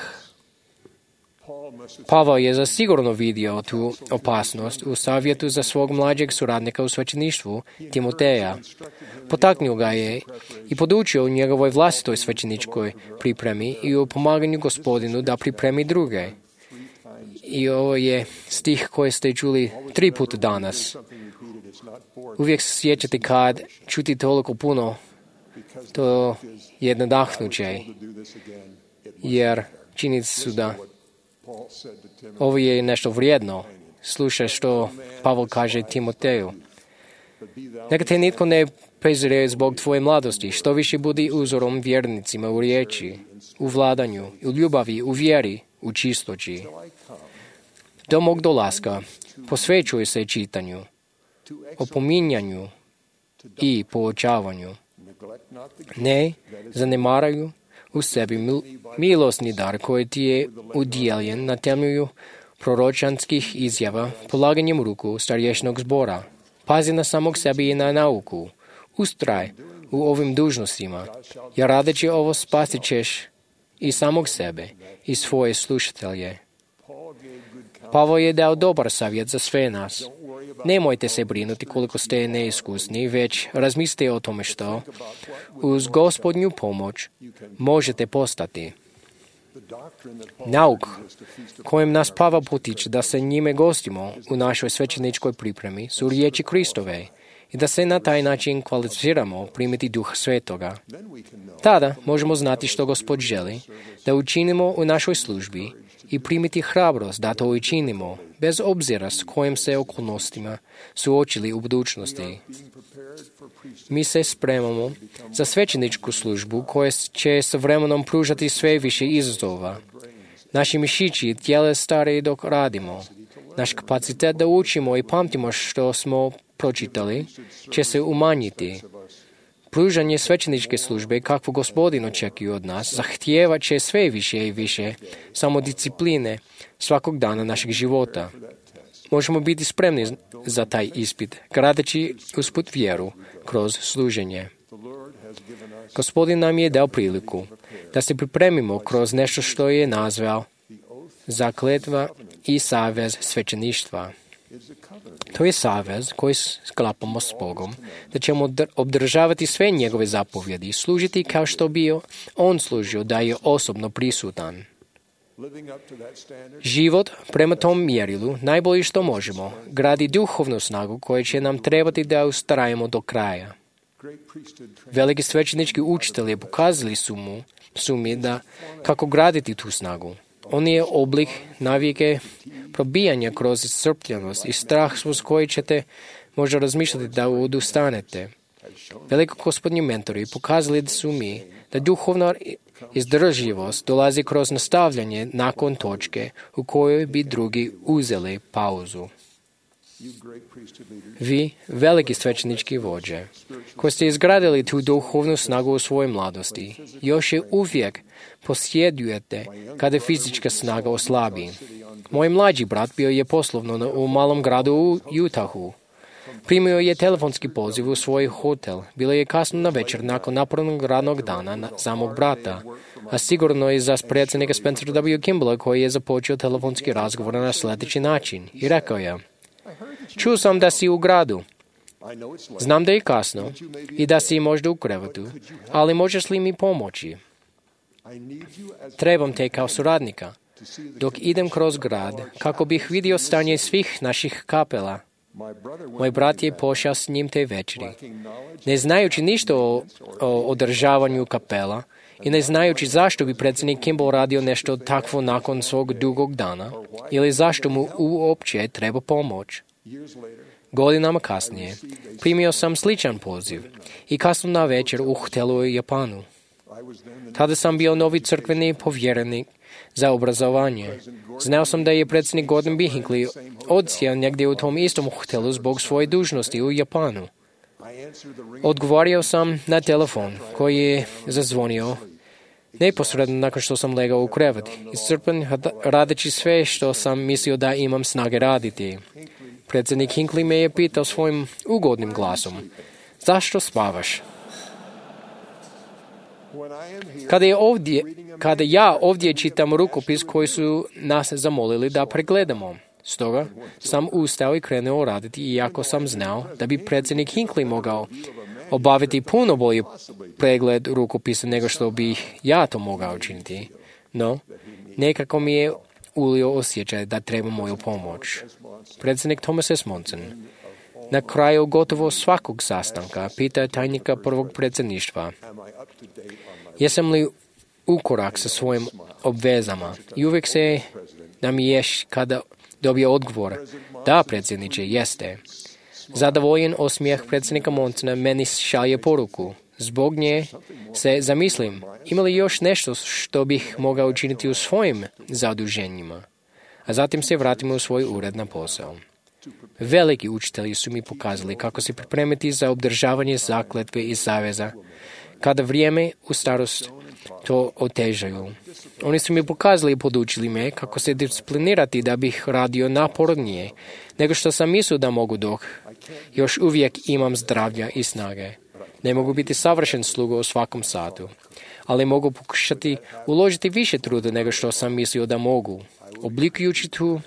Pavao je zasigurno vidio tu opasnost u savjetu za svog mlađeg suradnika u svećeništvu, Timoteja. Potaknuo ga je i podučio u njegovoj vlastitoj svećeničkoj pripremi i u pomaganju Gospodinu da pripremi druge. I ovo je stih koji ste čuli 3 puta danas. Uvijek se sjećate kad čuti toliko puno, to je nadahnuće, jer činjenice su da ovo je nešto vrijedno. Slušaj što Pavol kaže Timoteju. Neka te nitko ne prezire zbog tvoje mladosti, što više budi uzorom vjernicima u riječi, u vladanju, u ljubavi, u vjeri, u čistoći. Do mog dolaska posvećuje se čitanju, opominjanju i poučavanju. Ne zanemaraju u sebi milosni dar koji ti je udjeljen na temelju proročanskih izjava polaganjem ruku starješnog zbora. Pazi na samog sebi i na nauku. Ustraj u ovim dužnostima, jer radeći ovo spasit ćeš i samog sebe i svoje slušatelje. Pavao je dao dobar savjet za sve nas. Nemojte se brinuti koliko ste neiskusni, već razmislite o tome što uz Gospodnju pomoć možete postati. Nauk kojem nas Pavao potiče da se njime gostimo u našoj svećeničkoj pripremi su riječi Kristove i da se na taj način kvalificiramo primiti Duha Svetoga. Tada možemo znati što Gospod želi da učinimo u našoj službi i primiti hrabrost da to učinimo, bez obzira s kojim se okolnostima suočili u budućnosti. Mi se spremamo za svećeničku službu koja će s vremenom pružati sve više izazova. Naši mišići i tijela stare dok radimo. Naš kapacitet da učimo i pamtimo što smo pročitali će se umanjiti. Pružanje svećeničke službe, kakvu Gospodin očekuje od nas, zahtijevat će sve više i više samodiscipline svakog dana našeg života. Možemo biti spremni za taj ispit, gradeći usput vjeru kroz služenje. Gospodin nam je dao priliku da se pripremimo kroz nešto što je nazvao zakletva i savez svećeništva. To je savez koji sklapamo s Bogom, da ćemo obdržavati sve njegove zapovjedi, služiti kao što bi on služio, da je osobno prisutan. Život prema tom mjerilu, najbolje što možemo, gradi duhovnu snagu koja će nam trebati da ustrajemo do kraja. Veliki svećenički učitelji pokazali su mi da kako graditi tu snagu. On je oblik navike probijanja kroz iscrpljenost i strah s koji ćete možda razmišljati da odustanete. Veliko gospodnji mentori pokazali su mi da duhovna izdržljivost dolazi kroz nastavljanje nakon točke u kojoj bi drugi uzeli pauzu. Vi, veliki svećenički vođe, koji ste izgradili tu duhovnu snagu u svojoj mladosti, još je uvijek posjedujete kada fizička snaga oslabi. Moj mlađi brat bio je poslovno u malom gradu u Utahu. Primio je telefonski poziv u svoj hotel. Bilo je kasno na večer nakon napornog radnog dana za mog brata, a sigurno i za predsjednika Spencer W. Kimballa koji je započeo telefonski razgovor na sljedeći način i rekao je: čuo sam da si u gradu. Znam da je kasno i da si možda u krevetu, ali možeš li mi pomoći? Trebam te kao suradnika. Dok idem kroz grad, kako bih vidio stanje svih naših kapela. Moj brat je pošao s njim te večeri. Ne znajući ništa o održavanju kapela i ne znajući zašto bi predsjednik Kimball radio nešto takvo nakon svog dugog dana ili zašto mu uopće treba pomoć. Godinama kasnije primio sam sličan poziv i kasno na večer u hotelu u Japanu. Tada sam bio novi crkveni povjerenik za obrazovanje. Znao sam da je predsjednik Gordon B. Hinckley odsjeo negdje u tom istom hotelu zbog svoje dužnosti u Japanu. Odgovorio sam na telefon koji je zazvonio neposredno nakon što sam legao u krevet, iscrpen radeći sve što sam mislio da imam snage raditi. Predsjednik Hinckley me je pitao svojim ugodnim glasom: zašto spavaš? Kada ja ovdje čitam rukopis koji su nas zamolili da pregledamo. Stoga sam ustao i krenuo raditi, iako sam znao da bi predsjednik Hinckley mogao obaviti puno bolji pregled rukopisa nego što bih ja to mogao učiniti. No, nekako mi je ulio osjećaj da treba moju pomoć. Predsjednik Thomas S. Monson na kraju gotovo svakog sastanka pita tajnika prvog predsjedništva: jesam li u korak sa svojim obvezama? I uvijek se namiješ kada dobije odgovor: da, predsjedniče, jeste. Zadovoljen osmijeh predsjednika Monsona meni šalje poruku. Zbog nje se zamislim, ima li još nešto što bih mogao učiniti u svojim zaduženjima? A zatim se vratimo u svoj ured na posao. Veliki učitelji su mi pokazali kako se pripremiti za obdržavanje zakletve i saveza, kada vrijeme u starost to otežaju. Oni su mi pokazali i podučili me kako se disciplinirati da bih radio napornije nego što sam mislio da mogu dok još uvijek imam zdravlja i snage. Ne mogu biti savršen sluga u svakom satu, ali mogu pokušati uložiti više truda nego što sam mislio da mogu. Oblikujući tu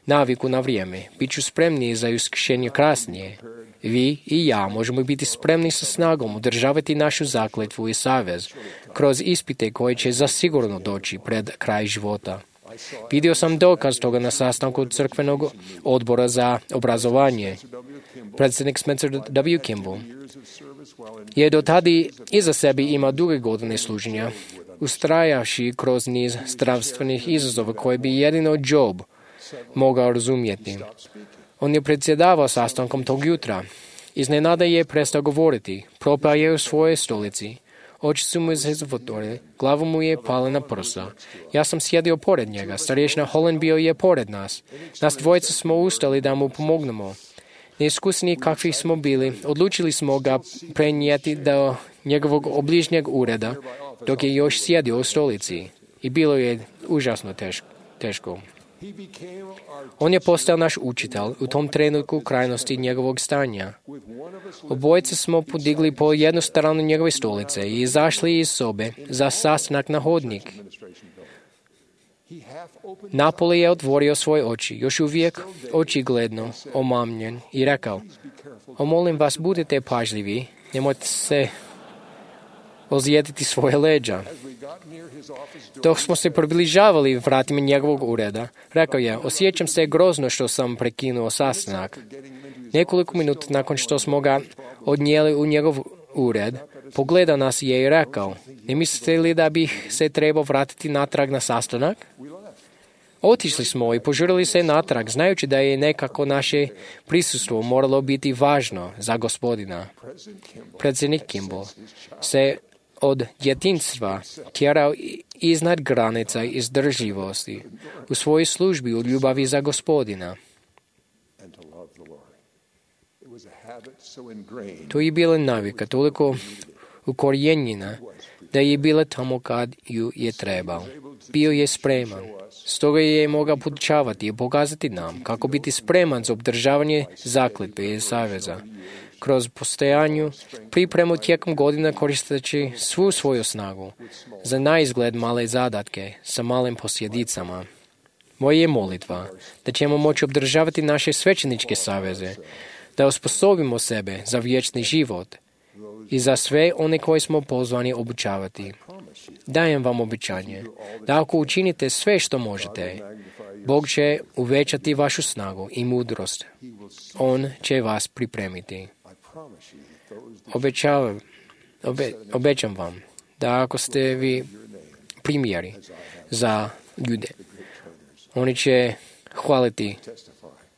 naviku na vrijeme, bit ću spremniji za iskušenje kasnije. Vi i ja možemo biti spremni sa snagom održavati našu zakletvu i savez kroz ispite koje će zasigurno doći pred kraj života. Vidio sam dokaz toga na sastanku crkvenog odbora za obrazovanje. Predsjednik Spencer W. Kimball je do tada iza sebe imao duge godine služenja, ustrajavši kroz niz zdravstvenih izazova koje bi jedino Job mogao razumjeti. On je predsjedavao sastankom tog jutra. Iznenada je prestao govoriti, propao je u svojoj stolici. Oči su mu se zatvorili, glava mu je pala na prsa. Ja sam sjedio pored njega, starješina Holland bio je pored nas. Nas dvojica smo ustali da mu pomognemo. Neiskusni kakvi smo bili, odlučili smo ga prenijeti do njegovog obližnjeg ureda, dok je još sjedio u stolici. I bilo je užasno teško. On je postao naš učitelj u tom trenutku krajnosti njegovog stanja. Obojice smo podigli po jednu stranu njegove stolice i izašli iz sobe za sastanak na hodnik. Napoli je otvorio svoje oči, još uvijek očigledno omamljen i rekao: molim vas, budite pažljivi, nemojte se ozlijediti svoje leđa. Dok smo se približavali vratima njegovog ureda, rekao je: osjećam se grozno što sam prekinuo sastanak. Nekoliko minuta nakon što smo ga odnijeli u njegov ured, pogledao nas je i rekao: ne mislite li da bih se trebao vratiti natrag na sastanak? Otišli smo i požurili se natrag, znajući da je nekako naše prisustvo moralo biti važno za Gospodina. Predsjednik Kimball se od djetinjstva tjerao iznad granica izdržljivosti u svojoj službi u ljubavi za Gospodina. To je bila navika toliko ukorijenjena da je bila tamo kad ju je trebao. Bio je spreman. Stoga je mogao podučavati i pokazati nam kako biti spreman za obdržavanje zakletve i saveza. Kroz postojanju pripremu tijekom godina koristeći svu svoju snagu za naizgled male zadatke sa malim posljedicama. Moja je molitva da ćemo moći obdržavati naše svećeničke saveze, da osposobimo sebe za vječni život i za sve one koje smo pozvani obučavati. Dajem vam obećanje da ako učinite sve što možete, Bog će uvećati vašu snagu i mudrost. On će vas pripremiti. Obećam vam da ako ste vi primjeri za ljude, oni će hvaliti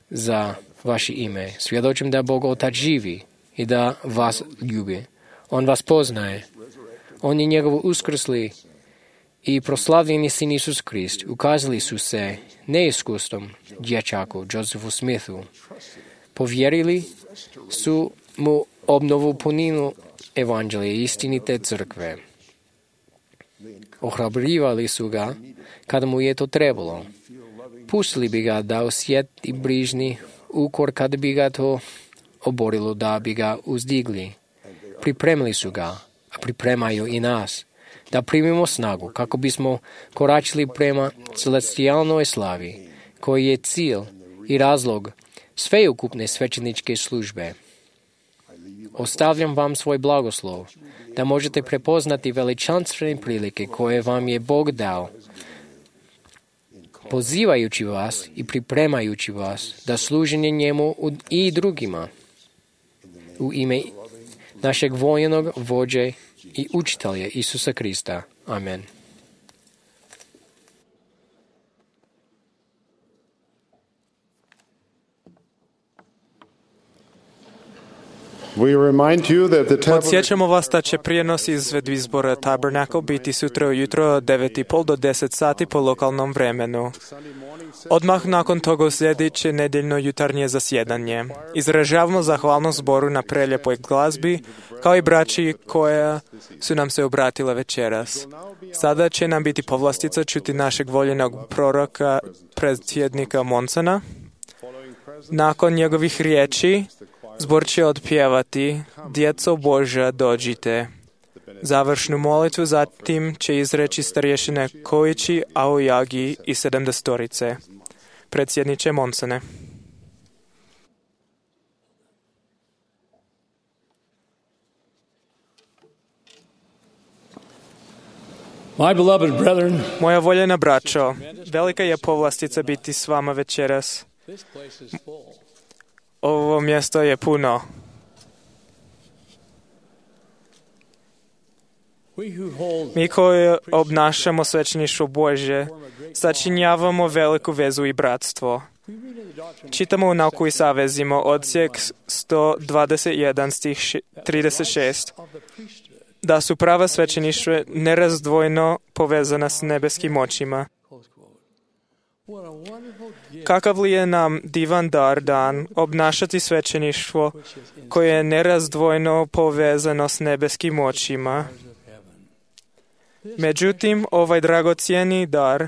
za vaše ime. Svjedočim da Bog Otac živi i da vas ljubi. On vas poznaje. On je njegov uskrsli i proslavljeni sin Isus Krist. Ukazali su se neiskustvom dječaku Josephu Smithu. Povjerili su mu obnovu puninu evanđelja i istinite crkve. Ohrabrivali su ga kada mu je to trebalo. Pustili bi ga da osjeti brižni ukor kada bi ga to oborilo, da bi ga uzdigli. Pripremili su ga, a pripremaju i nas, da primimo snagu kako bismo koračili prema celestijalnoj slavi, koji je cilj i razlog sveukupne svećeničke službe. Ostavljam vam svoj blagoslov, da možete prepoznati veličanstvene prilike koje vam je Bog dao, pozivajući vas i pripremajući vas da služenje njemu i drugima. U ime našeg vojnog vođe i učitelja Isusa Krista. Amen. Podsjećamo vas da će prijenos izvedbi zbora Tabernacle biti sutra ujutro od 9:30 do 10 sati po lokalnom vremenu. Odmah nakon toga sljedeće nedjeljno jutarnje zasjedanje. Izražavamo zahvalnost zboru na prelijepoj glazbi, kao i braći koja su nam se obratila večeras. Sada će nam biti povlastica čuti našeg voljenog proroka, predsjednika Monsona. Nakon njegovih riječi, zbor će otpjevati Djeco Božja, dođite. Završnu molitvu zatim će izreći starješine Kojići, Aoyagi i 70-torice. Predsjedniče Monsone. Moja voljena braćo, velika je povlastica biti s vama večeras. Ovo mjesto je puno. Mi koji obnašamo svećeništvo Božje, sačinjavamo veliku vezu i bratstvo. Čitamo u Nauku i savezima odsjek 121 stih 36, da su prava svećeništva nerazdvojno povezana s nebeskim očima. Kakav li je nam divan dar dan obnašati svećeništvo koje je nerazdvojno povezano s nebeskim očima. Međutim, ovaj dragocjeni dar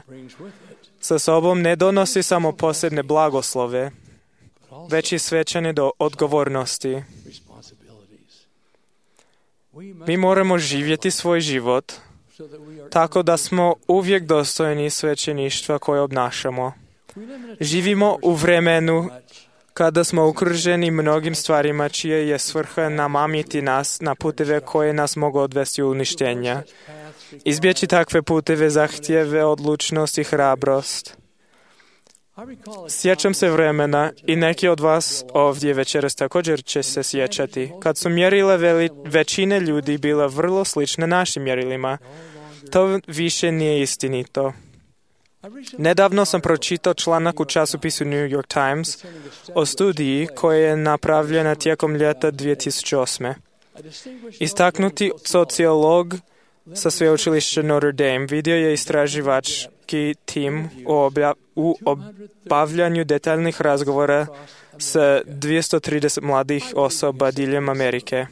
sa sobom ne donosi samo posebne blagoslove, već i svećane odgovornosti. Mi moramo živjeti svoj život tako da smo uvijek dostojni svećeništva koje obnašamo. Živimo u vremenu kada smo okruženi mnogim stvarima čije je svrha namamiti nas na puteve koje nas mogu odvesti u uništenja. Izbjeći takve puteve zahtjeve odlučnost i hrabrost. Sjećam se vremena i neki od vas ovdje večeras također će se sjećati, kad su mjerile većine ljudi bila vrlo slične našim mjerilima. To više nije istinito. Nedavno sam pročitao članak u časopisu New York Times o studiji koja je napravljena tijekom ljeta 2008. Istaknuti sociolog sa sveučilišta Notre Dame vidio je istraživački tim u obavljanju detaljnih razgovora s 230 mladih osoba diljem Amerike.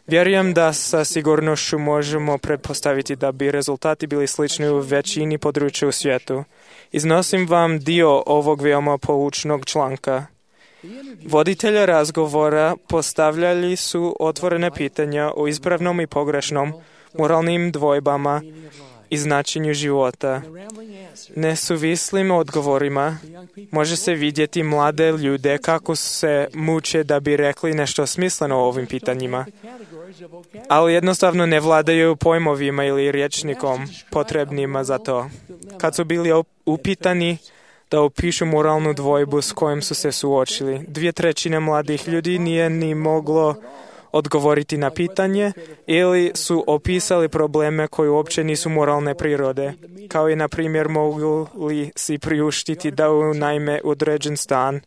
Vjerujem da sa sigurnošću možemo pretpostaviti da bi rezultati bili slični u većini područja u svijetu. Iznosim vam dio ovog veoma poučnog članka. Voditelja razgovora postavljali su otvorene pitanja o ispravnom i pogrešnom, moralnim dvojbama i značenju života. Nesuvislim odgovorima može se vidjeti mlade ljude kako se muče da bi rekli nešto smisleno o ovim pitanjima, ali jednostavno ne vladaju pojmovima ili rječnikom potrebnima za to. Kad su bili upitani da opišu moralnu dvojbu s kojom su se suočili, 2/3 mladih ljudi nije ni moglo odgovoriti na pitanje ili su opisali probleme koji uopće nisu moralne prirode, kao i na primjer mogu li si priuštiti da unajme određen stan.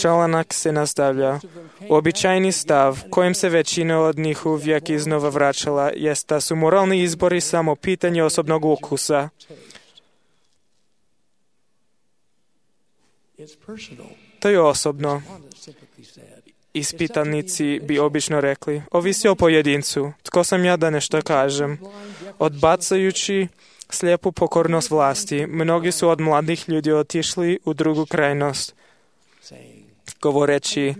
Članak se nastavlja. Običajni stav kojem se većina od njih uvijek iznova vraćala jest da su moralni izbori samo pitanje osobnog ukusa. To je osobno. Ispitanici bi obično rekli, ovisi o pojedincu, tko sam ja da nešto kažem. Odbacajući slijepu pokornost vlasti, mnogi su od mladih ljudi otišli u drugu krajnost, govoreći,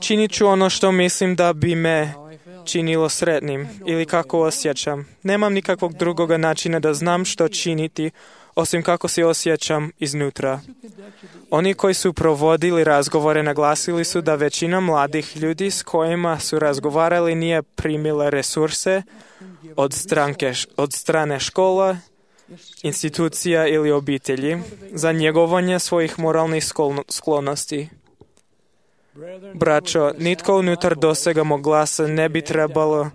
činit ću ono što mislim da bi me činilo sretnim ili kako osjećam. Nemam nikakvog drugoga načina da znam što činiti, osim kako se osjećam iznutra. Oni koji su provodili razgovore naglasili su da većina mladih ljudi s kojima su razgovarali nije primila resurse od strane škola, institucija ili obitelji za njegovanje svojih moralnih sklonosti. Braćo, nitko unutar dosega mog glasa ne bi trebalo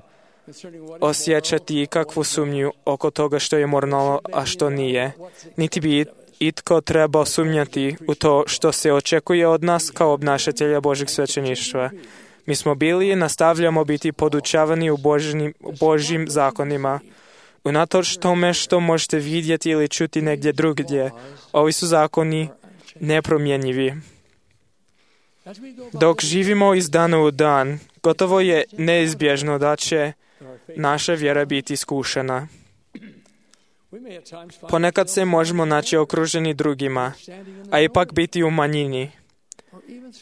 osjećati ikakvu sumnju oko toga što je moralno, a što nije. Niti bi itko trebao sumnjati u to što se očekuje od nas kao obnašatelja Božjeg svećeništva. Mi smo bili i nastavljamo biti podučavani u Božjim zakonima. Unatoč tome što možete vidjeti ili čuti negdje drugdje, ovi su zakoni nepromjenjivi. Dok živimo iz dana u dan, gotovo je neizbježno da će naša vjera biti iskušena. Ponekad se možemo naći okruženi drugima, a ipak biti u manjini.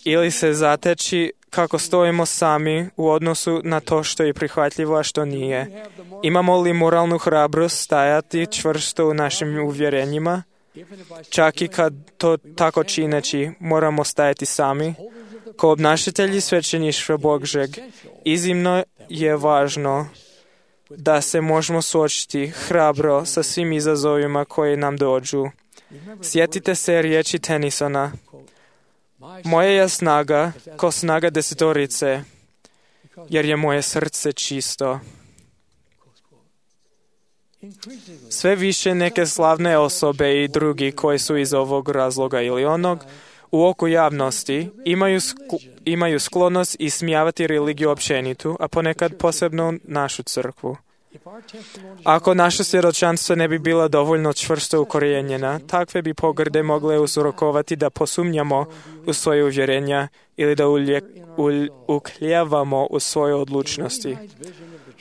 Ili se zateći kako stojimo sami u odnosu na to što je prihvatljivo, a što nije. Imamo li moralnu hrabrost stajati čvrsto u našim uvjerenjima? Čak i kad to tako čineći moramo stajati sami. Kao obnašatelji svećeništva Božjeg, iznimno je važno da se možemo suočiti hrabro sa svim izazovima koji nam dođu. Sjetite se riječi Tennysona. Moja je snaga ko snaga 10, jer je moje srce čisto. Sve više neke slavne osobe i drugi koji su iz ovog razloga ili onog u oku javnosti imaju sklonost ismijavati religiju općenitu, a ponekad posebno našu crkvu. Ako naše svjedočanstvo ne bi bila dovoljno čvrsto ukorijenjena, takve bi pogrde mogle uzrokovati da posumnjamo u svoje uvjerenja ili da ukljevamo u svoje odlučnosti.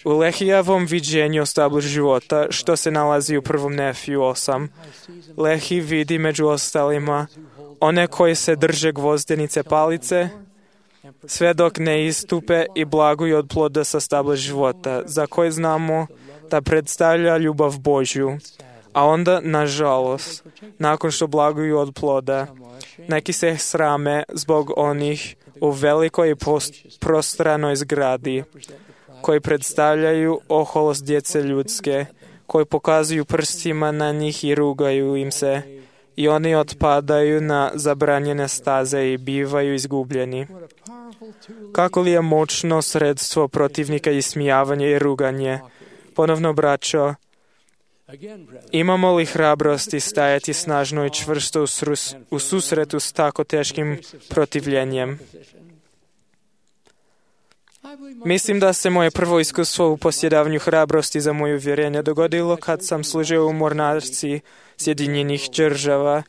U Lehijevom viđenju o stablu života, što se nalazi u 1. Nefiju 8, Lehi vidi među ostalima one koji se drže gvozdenice palice, sve dok ne istupe i blaguju od ploda sa stabla života, za koje znamo da predstavlja ljubav Božju. A onda, nažalost, nakon što blaguju od ploda, neki se srame zbog onih u velikoj i prostranoj zgradi, koji predstavljaju oholost djece ljudske, koji pokazuju prstima na njih i rugaju im se, i oni otpadaju na zabranjene staze i bivaju izgubljeni. Kako li je moćno sredstvo protivnika ismijavanje i ruganje? Ponovno, braćo, imamo li hrabrosti stajati snažno i čvrsto u susretu s tako teškim protivljenjem? Mislim da se moje prvo iskustvo u posjedavanju hrabrosti za moje uvjerenje dogodilo kad sam služio u mornarici Sjedinjenih Država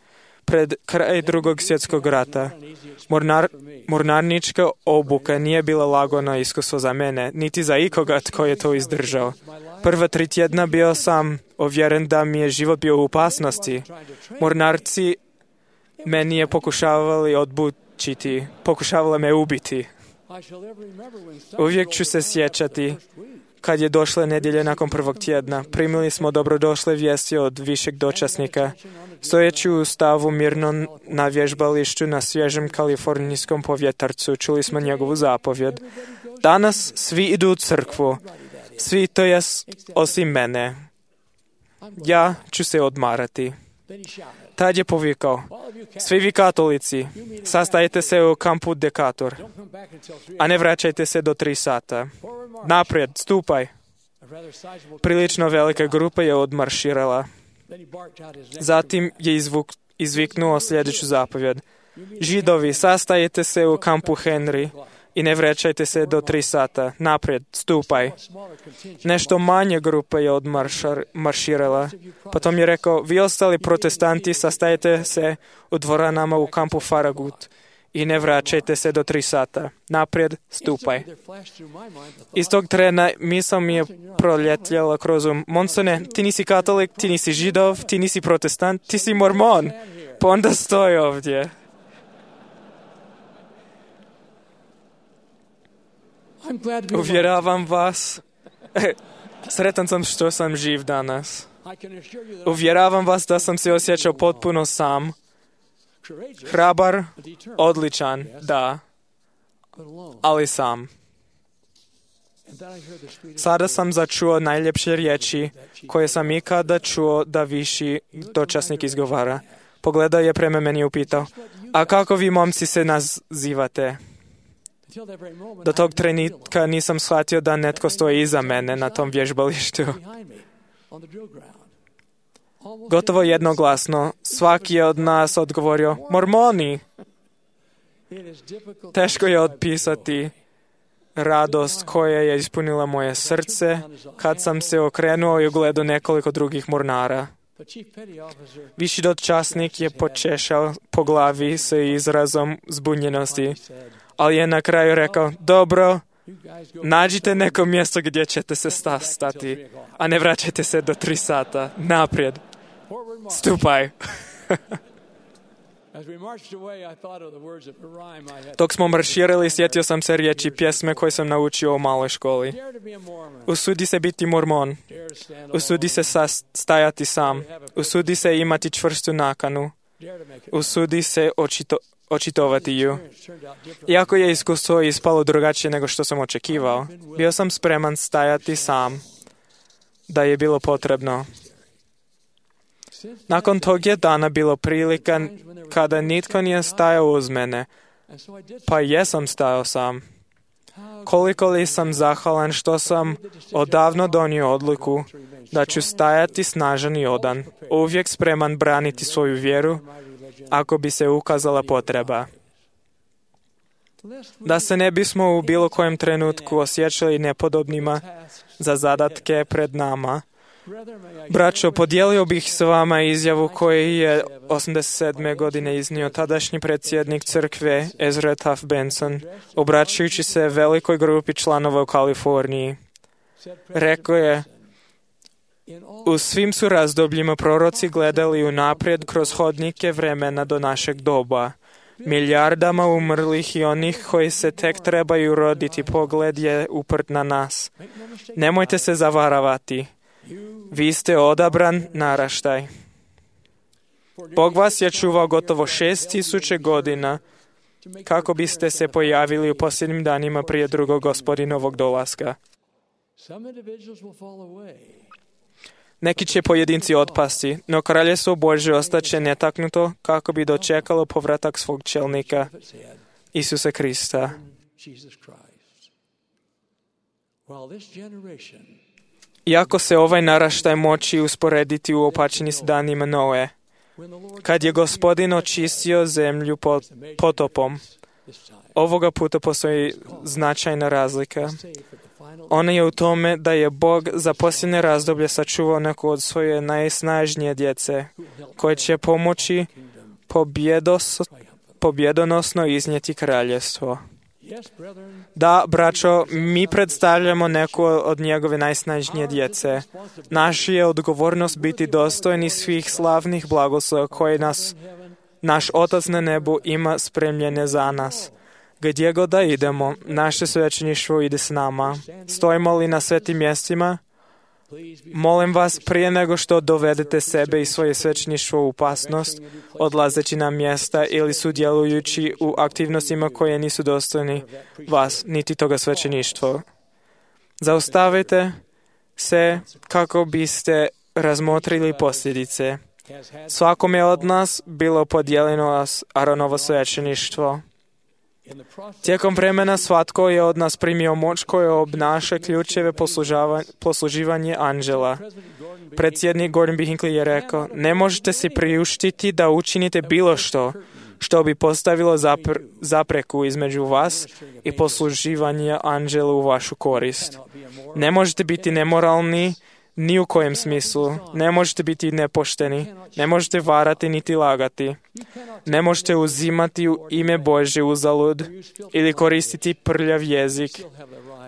pred kraj Drugog svjetskog rata. Mornarnička obuka nije bila lagano iskustvo za mene, niti za ikoga tko je to izdržao. Prva 3 tjedna bio sam uvjeren da mi je život bio u opasnosti. Mornarci meni je pokušavali odbučiti, pokušavali me ubiti. Uvijek ću se sjećati kad je došla nedjelja nakon prvog tjedna. Primili smo dobrodošle vijesti od višeg dočasnika. Stojeći u stavu mirno na vježbalištu na svježem kalifornijskom povjetarcu, čuli smo njegovu zapovjed. Danas svi idu u crkvu. Svi, to jest osim mene. Ja ću se odmarati. Tad je povikao: svi vi katolici, sastajete se u kampu Decatur, a ne vraćajte se do 3 sata. Naprijed, stupaj. Prilično velika grupa je odmarširala. Zatim je izviknuo sljedeću zapovjed: Židovi, sastajete se u kampu Henry i ne vraćajte se do 3 sata. Naprijed, stupaj. Nešto manje grupa je odmarširala. Potom je rekao: vi ostali protestanti, sastajete se u dvoranama u kampu Farragut i ne vraćajte se do 3 sata. Naprijed, stupaj. Iz tog trena misao mi je proljetljala kroz Monsone, ti nisi katolik, ti nisi židov, ti nisi protestant, ti si mormon. Pa onda stoji ovdje. Uvjeravam vas, sretan sam što sam živ danas. Uvjeravam vas da sam se osjećao potpuno sam. Hrabar, odličan, da, ali sam. Sada sam začuo najljepše riječi koje sam ikada čuo da viši dočasnik izgovara. Pogledao je prema meni i upitao: a kako vi momci se nazivate? Do tog trenutka nisam shvatio da netko stoji iza mene na tom vježbalištu. Gotovo jednoglasno, svaki je od nas odgovorio: mormoni. Teško je opisati radost koja je ispunila moje srce kad sam se okrenuo i ugledao nekoliko drugih mornara. Viši dočasnik je počešao po glavi sa izrazom zbunjenosti, ali je na kraju rekao: dobro, nađite neko mjesto gdje ćete se stati, a ne vraćajte se do 3 sata. Naprijed, stupaj. Dok smo marširali, sjetio sam se riječi pjesme koje sam naučio u maloj školi. Usudi se biti mormon. Usudi se stajati sam. Usudi se imati čvrstu nakanu. Usudi se očitovati ju. Iako je iskustvo ispalo drugačije nego što sam očekivao, bio sam spreman stajati sam, da je bilo potrebno. Nakon tog je dana bilo prilika kada nitko nije stajao uz mene, pa jesam stajao sam. Koliko li sam zahvalan što sam odavno donio odluku da ću stajati snažan i odan, uvijek spreman braniti svoju vjeru ako bi se ukazala potreba. Da se ne bismo u bilo kojem trenutku osjećali nepodobnima za zadatke pred nama, braćo, podijelio bih s vama izjavu koju je 87. godine iznio tadašnji predsjednik crkve Ezra Taft Benson, obraćajući se velikoj grupi članova u Kaliforniji. Rekao je: u svim su razdobljima proroci gledali unaprijed kroz hodnike vremena do našeg doba. Milijardama umrlih i onih koji se tek trebaju roditi pogled je uprt na nas. Nemojte se zavaravati. Vi ste odabran naraštaj. Bog vas je čuvao gotovo 6000 godina kako biste se pojavili u posljednjim danima prije drugog Gospodinovog dolaska. Neki će pojedinci otpasti, no kraljestvo Božje ostaće netaknuto kako bi dočekalo povratak svog čelnika, Isusa Krista. Iako se ovaj naraštaj moći usporediti u opačeni s danima Noe, kad je Gospodin očistio zemlju potopom, ovoga puta postoji značajna razlika. Ona je u tome da je Bog za posljednje razdoblje sačuvao neku od svoje najsnažnije djece, koje će pomoći pobjedonosno iznijeti kraljevstvo. Da, braćo, mi predstavljamo neku od njegove najsnažnije djece. Naša je odgovornost biti dostojni svih slavnih blagoslova koje naš Otac na nebu ima spremljene za nas. Gdje god da idemo, naše svećeništvo ide s nama. Stojimo li na svetim mjestima? Molim vas, prije nego što dovedete sebe i svoje svećeništvo u opasnost, odlazeći na mjesta ili sudjelujući u aktivnostima koje nisu dostojni vas, niti toga svećeništva. Zaustavite se kako biste razmotrili posljedice. Svakome od nas bilo podijeljeno Aaronovo svećeništvo. Tijekom vremena svatko je od nas primio moć koja obnaša ključeve posluživanje anđela. Predsjednik Gordon B. Hinckley je rekao, ne možete si priuštiti da učinite bilo što bi postavilo zapreku između vas i posluživanja anđelu u vašu korist. Ne možete biti nemoralni ni u kojem smislu. Ne možete biti nepošteni. Ne možete varati niti lagati. Ne možete uzimati u ime Božje uzalud ili koristiti prljav jezik,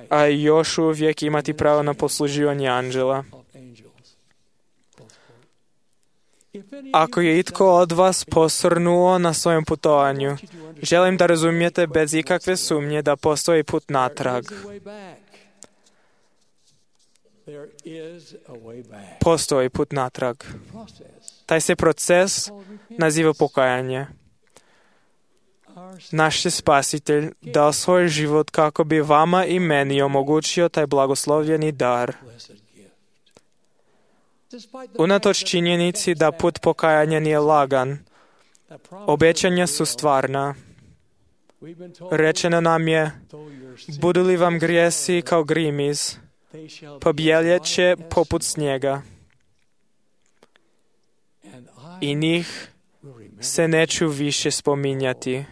a još uvijek imati pravo na posluživanje anđela. Ako je itko od vas posrnuo na svojem putovanju, želim da razumijete bez ikakve sumnje da postoji put natrag. Postoji put natrag. Taj se proces naziva pokajanje. Naš je Spasitelj dao svoj život kako bi vama i meni omogućio taj blagoslovljeni dar. Unatoč činjenici da put pokajanja nije lagan, obećanja su stvarna. Rečeno nam je, budu li vam grijesi kao grimiz, pobjeljet će poput snijega. I njih se neću više spominjati.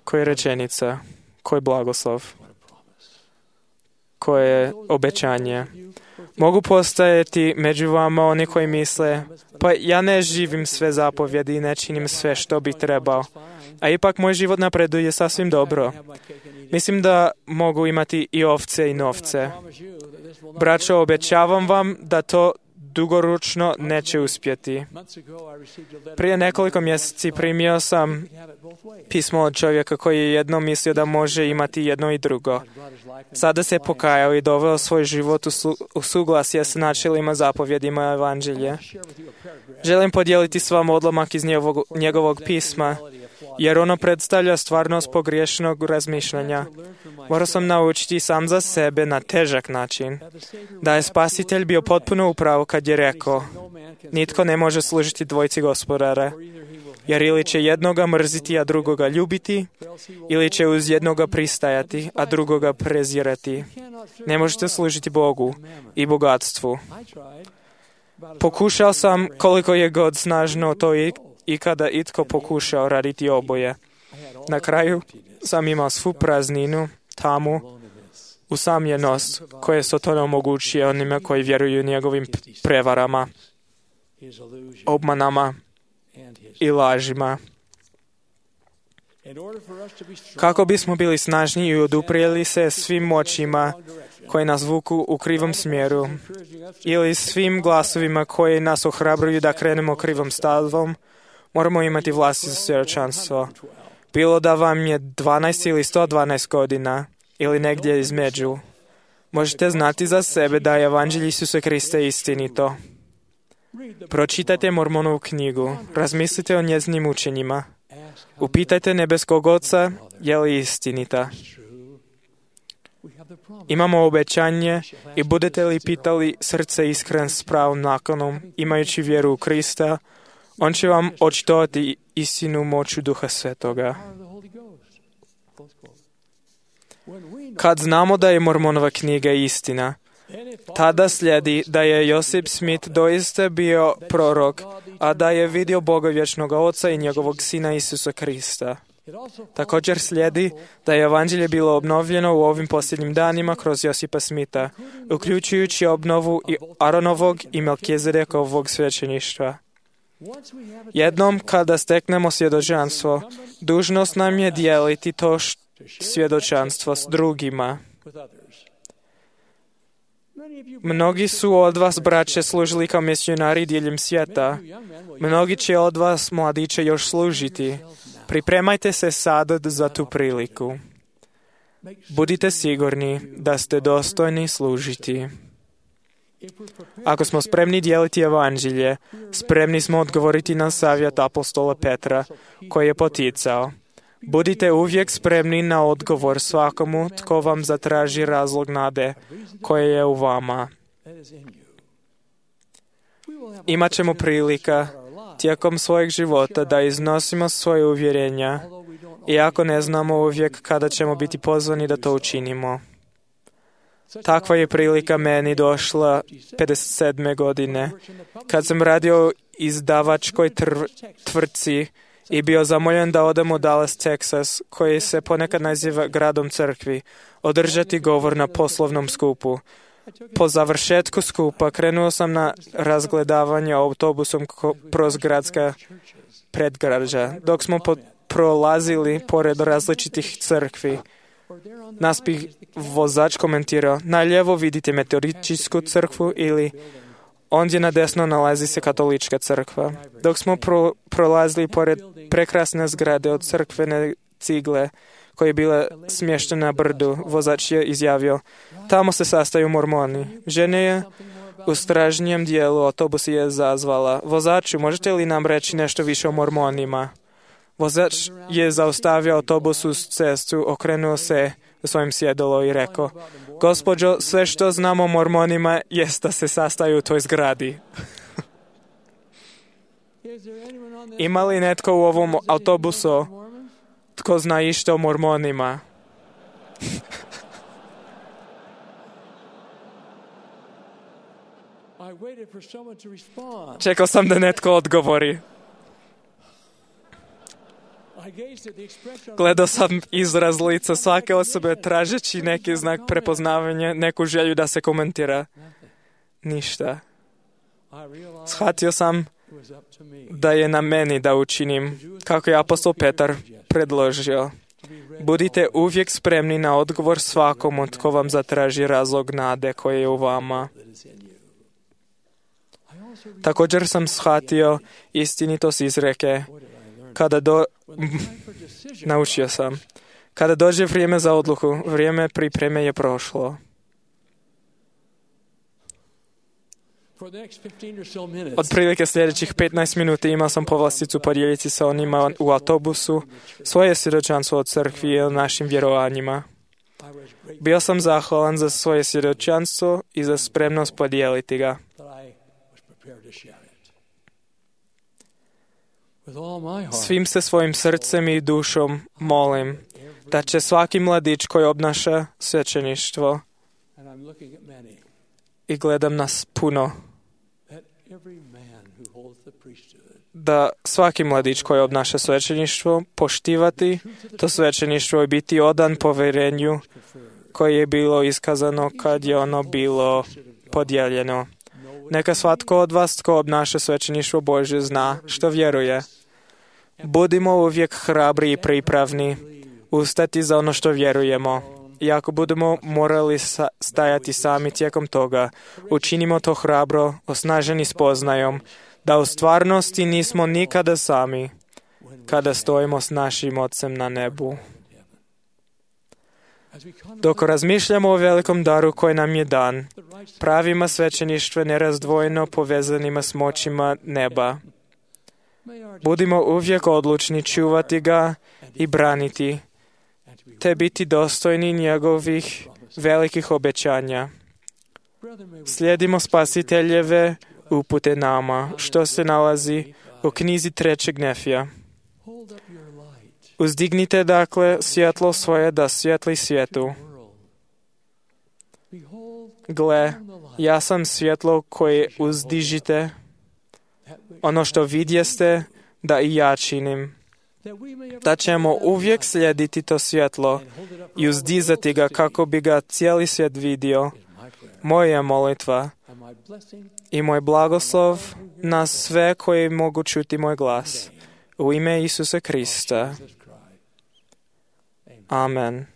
Koja rečenica, koji blagoslov, koje obećanje. Mogu postojati među vama oni koji misle, pa ja ne živim sve zapovjedi i ne činim sve što bi trebao, a ipak moj život napreduje sasvim dobro. Mislim da mogu imati i ovce i novce. Braćo, obećavam vam da to dugoročno neće uspjeti. Prije nekoliko mjeseci primio sam pismo od čovjeka koji je jednom mislio da može imati jedno i drugo. Sada se pokajao i doveo svoj život u suglasje s načelima zapovjedima evanđelja. Želim podijeliti s vama odlomak iz njegovog pisma, jer ono predstavlja stvarnost pogriješnog razmišljanja. Morao sam naučiti sam za sebe na težak način da je Spasitelj bio potpuno u pravu kad je rekao, nitko ne može služiti dvojici gospodara, jer ili će jednoga mrziti, a drugoga ljubiti, ili će uz jednoga pristajati, a drugoga prezirati. Ne možete služiti Bogu i bogatstvu. Pokušao sam koliko je god snažno to i kada itko pokušao raditi oboje. Na kraju sam imao svu prazninu, tamu, usamljenost koje Satan omogućuje onima koji vjeruju njegovim prevarama, obmanama i lažima. Kako bismo bili snažni i oduprijeli se svim moćima koje nas vuku u krivom smjeru ili svim glasovima koji nas ohrabruju da krenemo krivom stazom, moramo imati vlastito svjedočanstvo. Bilo da vam je 12 ili 112 godina, ili negdje između. Možete znati za sebe da je Evanđelje Isusa Krista istinito. Pročitajte Mormonovu knjigu, razmislite o njezinim učenjima. Upitajte nebeskog Oca je li istinita. Imamo obećanje i budete li pitali srce iskren s pravom nakonom, imajući vjeru u Krista, on će vam očitovati istinu moću Duha Svetoga. Kad znamo da je Mormonova knjiga istina, tada slijedi da je Josip Smith doista bio prorok, a da je vidio Boga vječnog Oca i njegovog Sina Isusa Krista. Također slijedi da je Evanđelje bilo obnovljeno u ovim posljednjim danima kroz Josipa Smitha, uključujući obnovu i Aronovog i Melkizedekovog svećeništva. Jednom kada steknemo svjedočanstvo, dužnost nam je dijeliti to svjedočanstvo s drugima. Mnogi su od vas, braće, služili kao misionari diljem svijeta. Mnogi će od vas, mladiće, još služiti. Pripremajte se sada za tu priliku. Budite sigurni da ste dostojni služiti. Ako smo spremni dijeliti Evanđelje, spremni smo odgovoriti na savjet apostola Petra, koji je poticao: budite uvijek spremni na odgovor svakomu tko vam zatraži razlog nade koje je u vama. Imaćemo prilika tijekom svojeg života da iznosimo svoje uvjerenja, iako ne znamo uvijek kada ćemo biti pozvani da to učinimo. Takva je prilika meni došla 57. godine, kad sam radio u izdavačkoj tvrtci i bio zamoljen da odem u Dallas, Texas, koji se ponekad naziva gradom crkvi, održati govor na poslovnom skupu. Po završetku skupa krenuo sam na razgledavanje autobusom kroz gradska predgrađa. Dok smo prolazili pored različitih crkvi, nas bi vozač komentirao: na lijevo vidite Metodističku crkvu ili ondje na desno nalazi se Katolička crkva. Dok smo prolazili pored prekrasne zgrade od crkvene cigle koja je bila smještena na brdu, vozač je izjavio: tamo se sastaju Mormoni. Žena je u stražnjem dijelu autobusa je zazvala: vozaču, možete li nam reći nešto više o Mormonima? Vozač je zaustavio autobus uz cestu, okrenuo se u svojem sjedalo i rekao: gospođo, sve što znamo o Mormonima jest da se sastaju u toj zgradi. Ima li netko u ovom autobusu tko zna išta o Mormonima? Čekao sam da netko odgovori. Gledao sam izraz lica svake osobe tražeći neki znak prepoznavanja, neku želju da se komentira. Ništa. Shvatio sam da je na meni da učinim, kako je apostol Petar predložio. Budite uvijek spremni na odgovor svakomu tko vam zatraži razlog nade koje je u vama. Također sam shvatio istinitost izreke: naučio sam. Kada dođe vrijeme za odluku, vrijeme pripreme je prošlo. Otprilike sljedećih 15 minuta imao sam povlasticu podijeliti sa onima u autobusu svoje svjedočanstvo o crkvi i o našim vjerovanjima. Bio sam zahvalan za svoje svjedočanstvo i za spremnost podijeliti ga. Svim se svojim srcem i dušom molim da će svaki mladić koji obnaša svećeništvo, i gledam nas puno, da svaki mladić koji obnaša svećeništvo poštivati to svećeništvo i biti odan povjerenju koje je bilo iskazano kad je ono bilo podijeljeno. Neka svatko od vas tko obnaša svećeništvo Božje zna što vjeruje. Budimo uvijek hrabri i pripravni ustati za ono što vjerujemo. I ako budemo morali stajati sami tijekom toga, učinimo to hrabro, osnaženi spoznajom da u stvarnosti nismo nikada sami kada stojimo s našim Ocem na nebu. Dok razmišljamo o velikom daru koji nam je dan, pravima svećeništva nerazdvojeno povezanima s moćima neba. Budimo uvijek odlučni čuvati ga i braniti, te biti dostojni njegovih velikih obećanja. Slijedimo Spasiteljeve upute nama, što se nalazi u knjizi 3. Nefija. Uzdignite dakle svjetlo svoje da svijetli svijetu. Gle, ja sam svjetlo koje uzdižite, ono što vidjeste da i ja činim. Da ćemo uvijek slijediti to svjetlo i uzdizati ga kako bi ga cijeli svijet vidio. Moja molitva i moj blagoslov na sve koji mogu čuti moj glas. U ime Isusa Krista. Amen.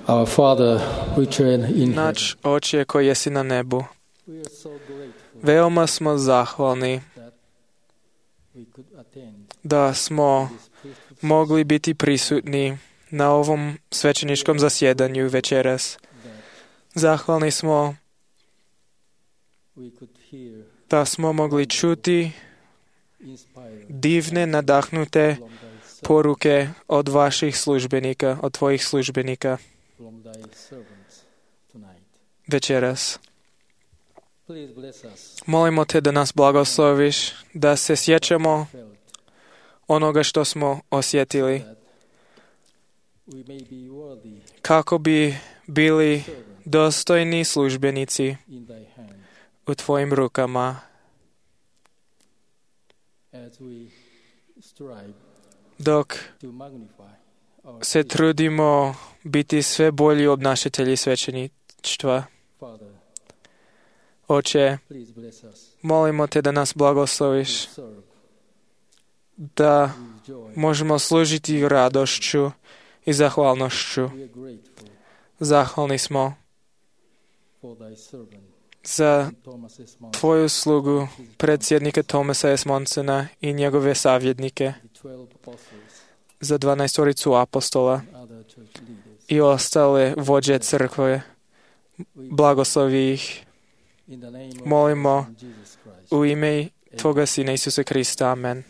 Our Father, which are in heaven. Naš Oče koji jesi na nebu, veoma smo zahvalni da smo mogli biti prisutni na ovom svećeničkom zasjedanju večeras. Zahvalni smo da smo mogli čuti divne, nadahnute poruke od vaših službenika, od tvojih službenika večeras. Molimo te da nas blagosloviš, da se sjećamo onoga što smo osjetili, kako bi bili dostojni službenici u tvojim rukama, dok se trudimo biti sve bolji obnašatelji svećeništva. Oče, molimo te da nas blagosloviš, da možemo služiti radošću i zahvalnošću. Zahvalni smo za tvoju slugu, predsjednika Tomasa S. Monsona i njegove savjetnike, za 12 apostola i ostale vođe crkve. Blagoslovi ih. Molimo u ime Tvoga Sina Isusa Krista. Amen.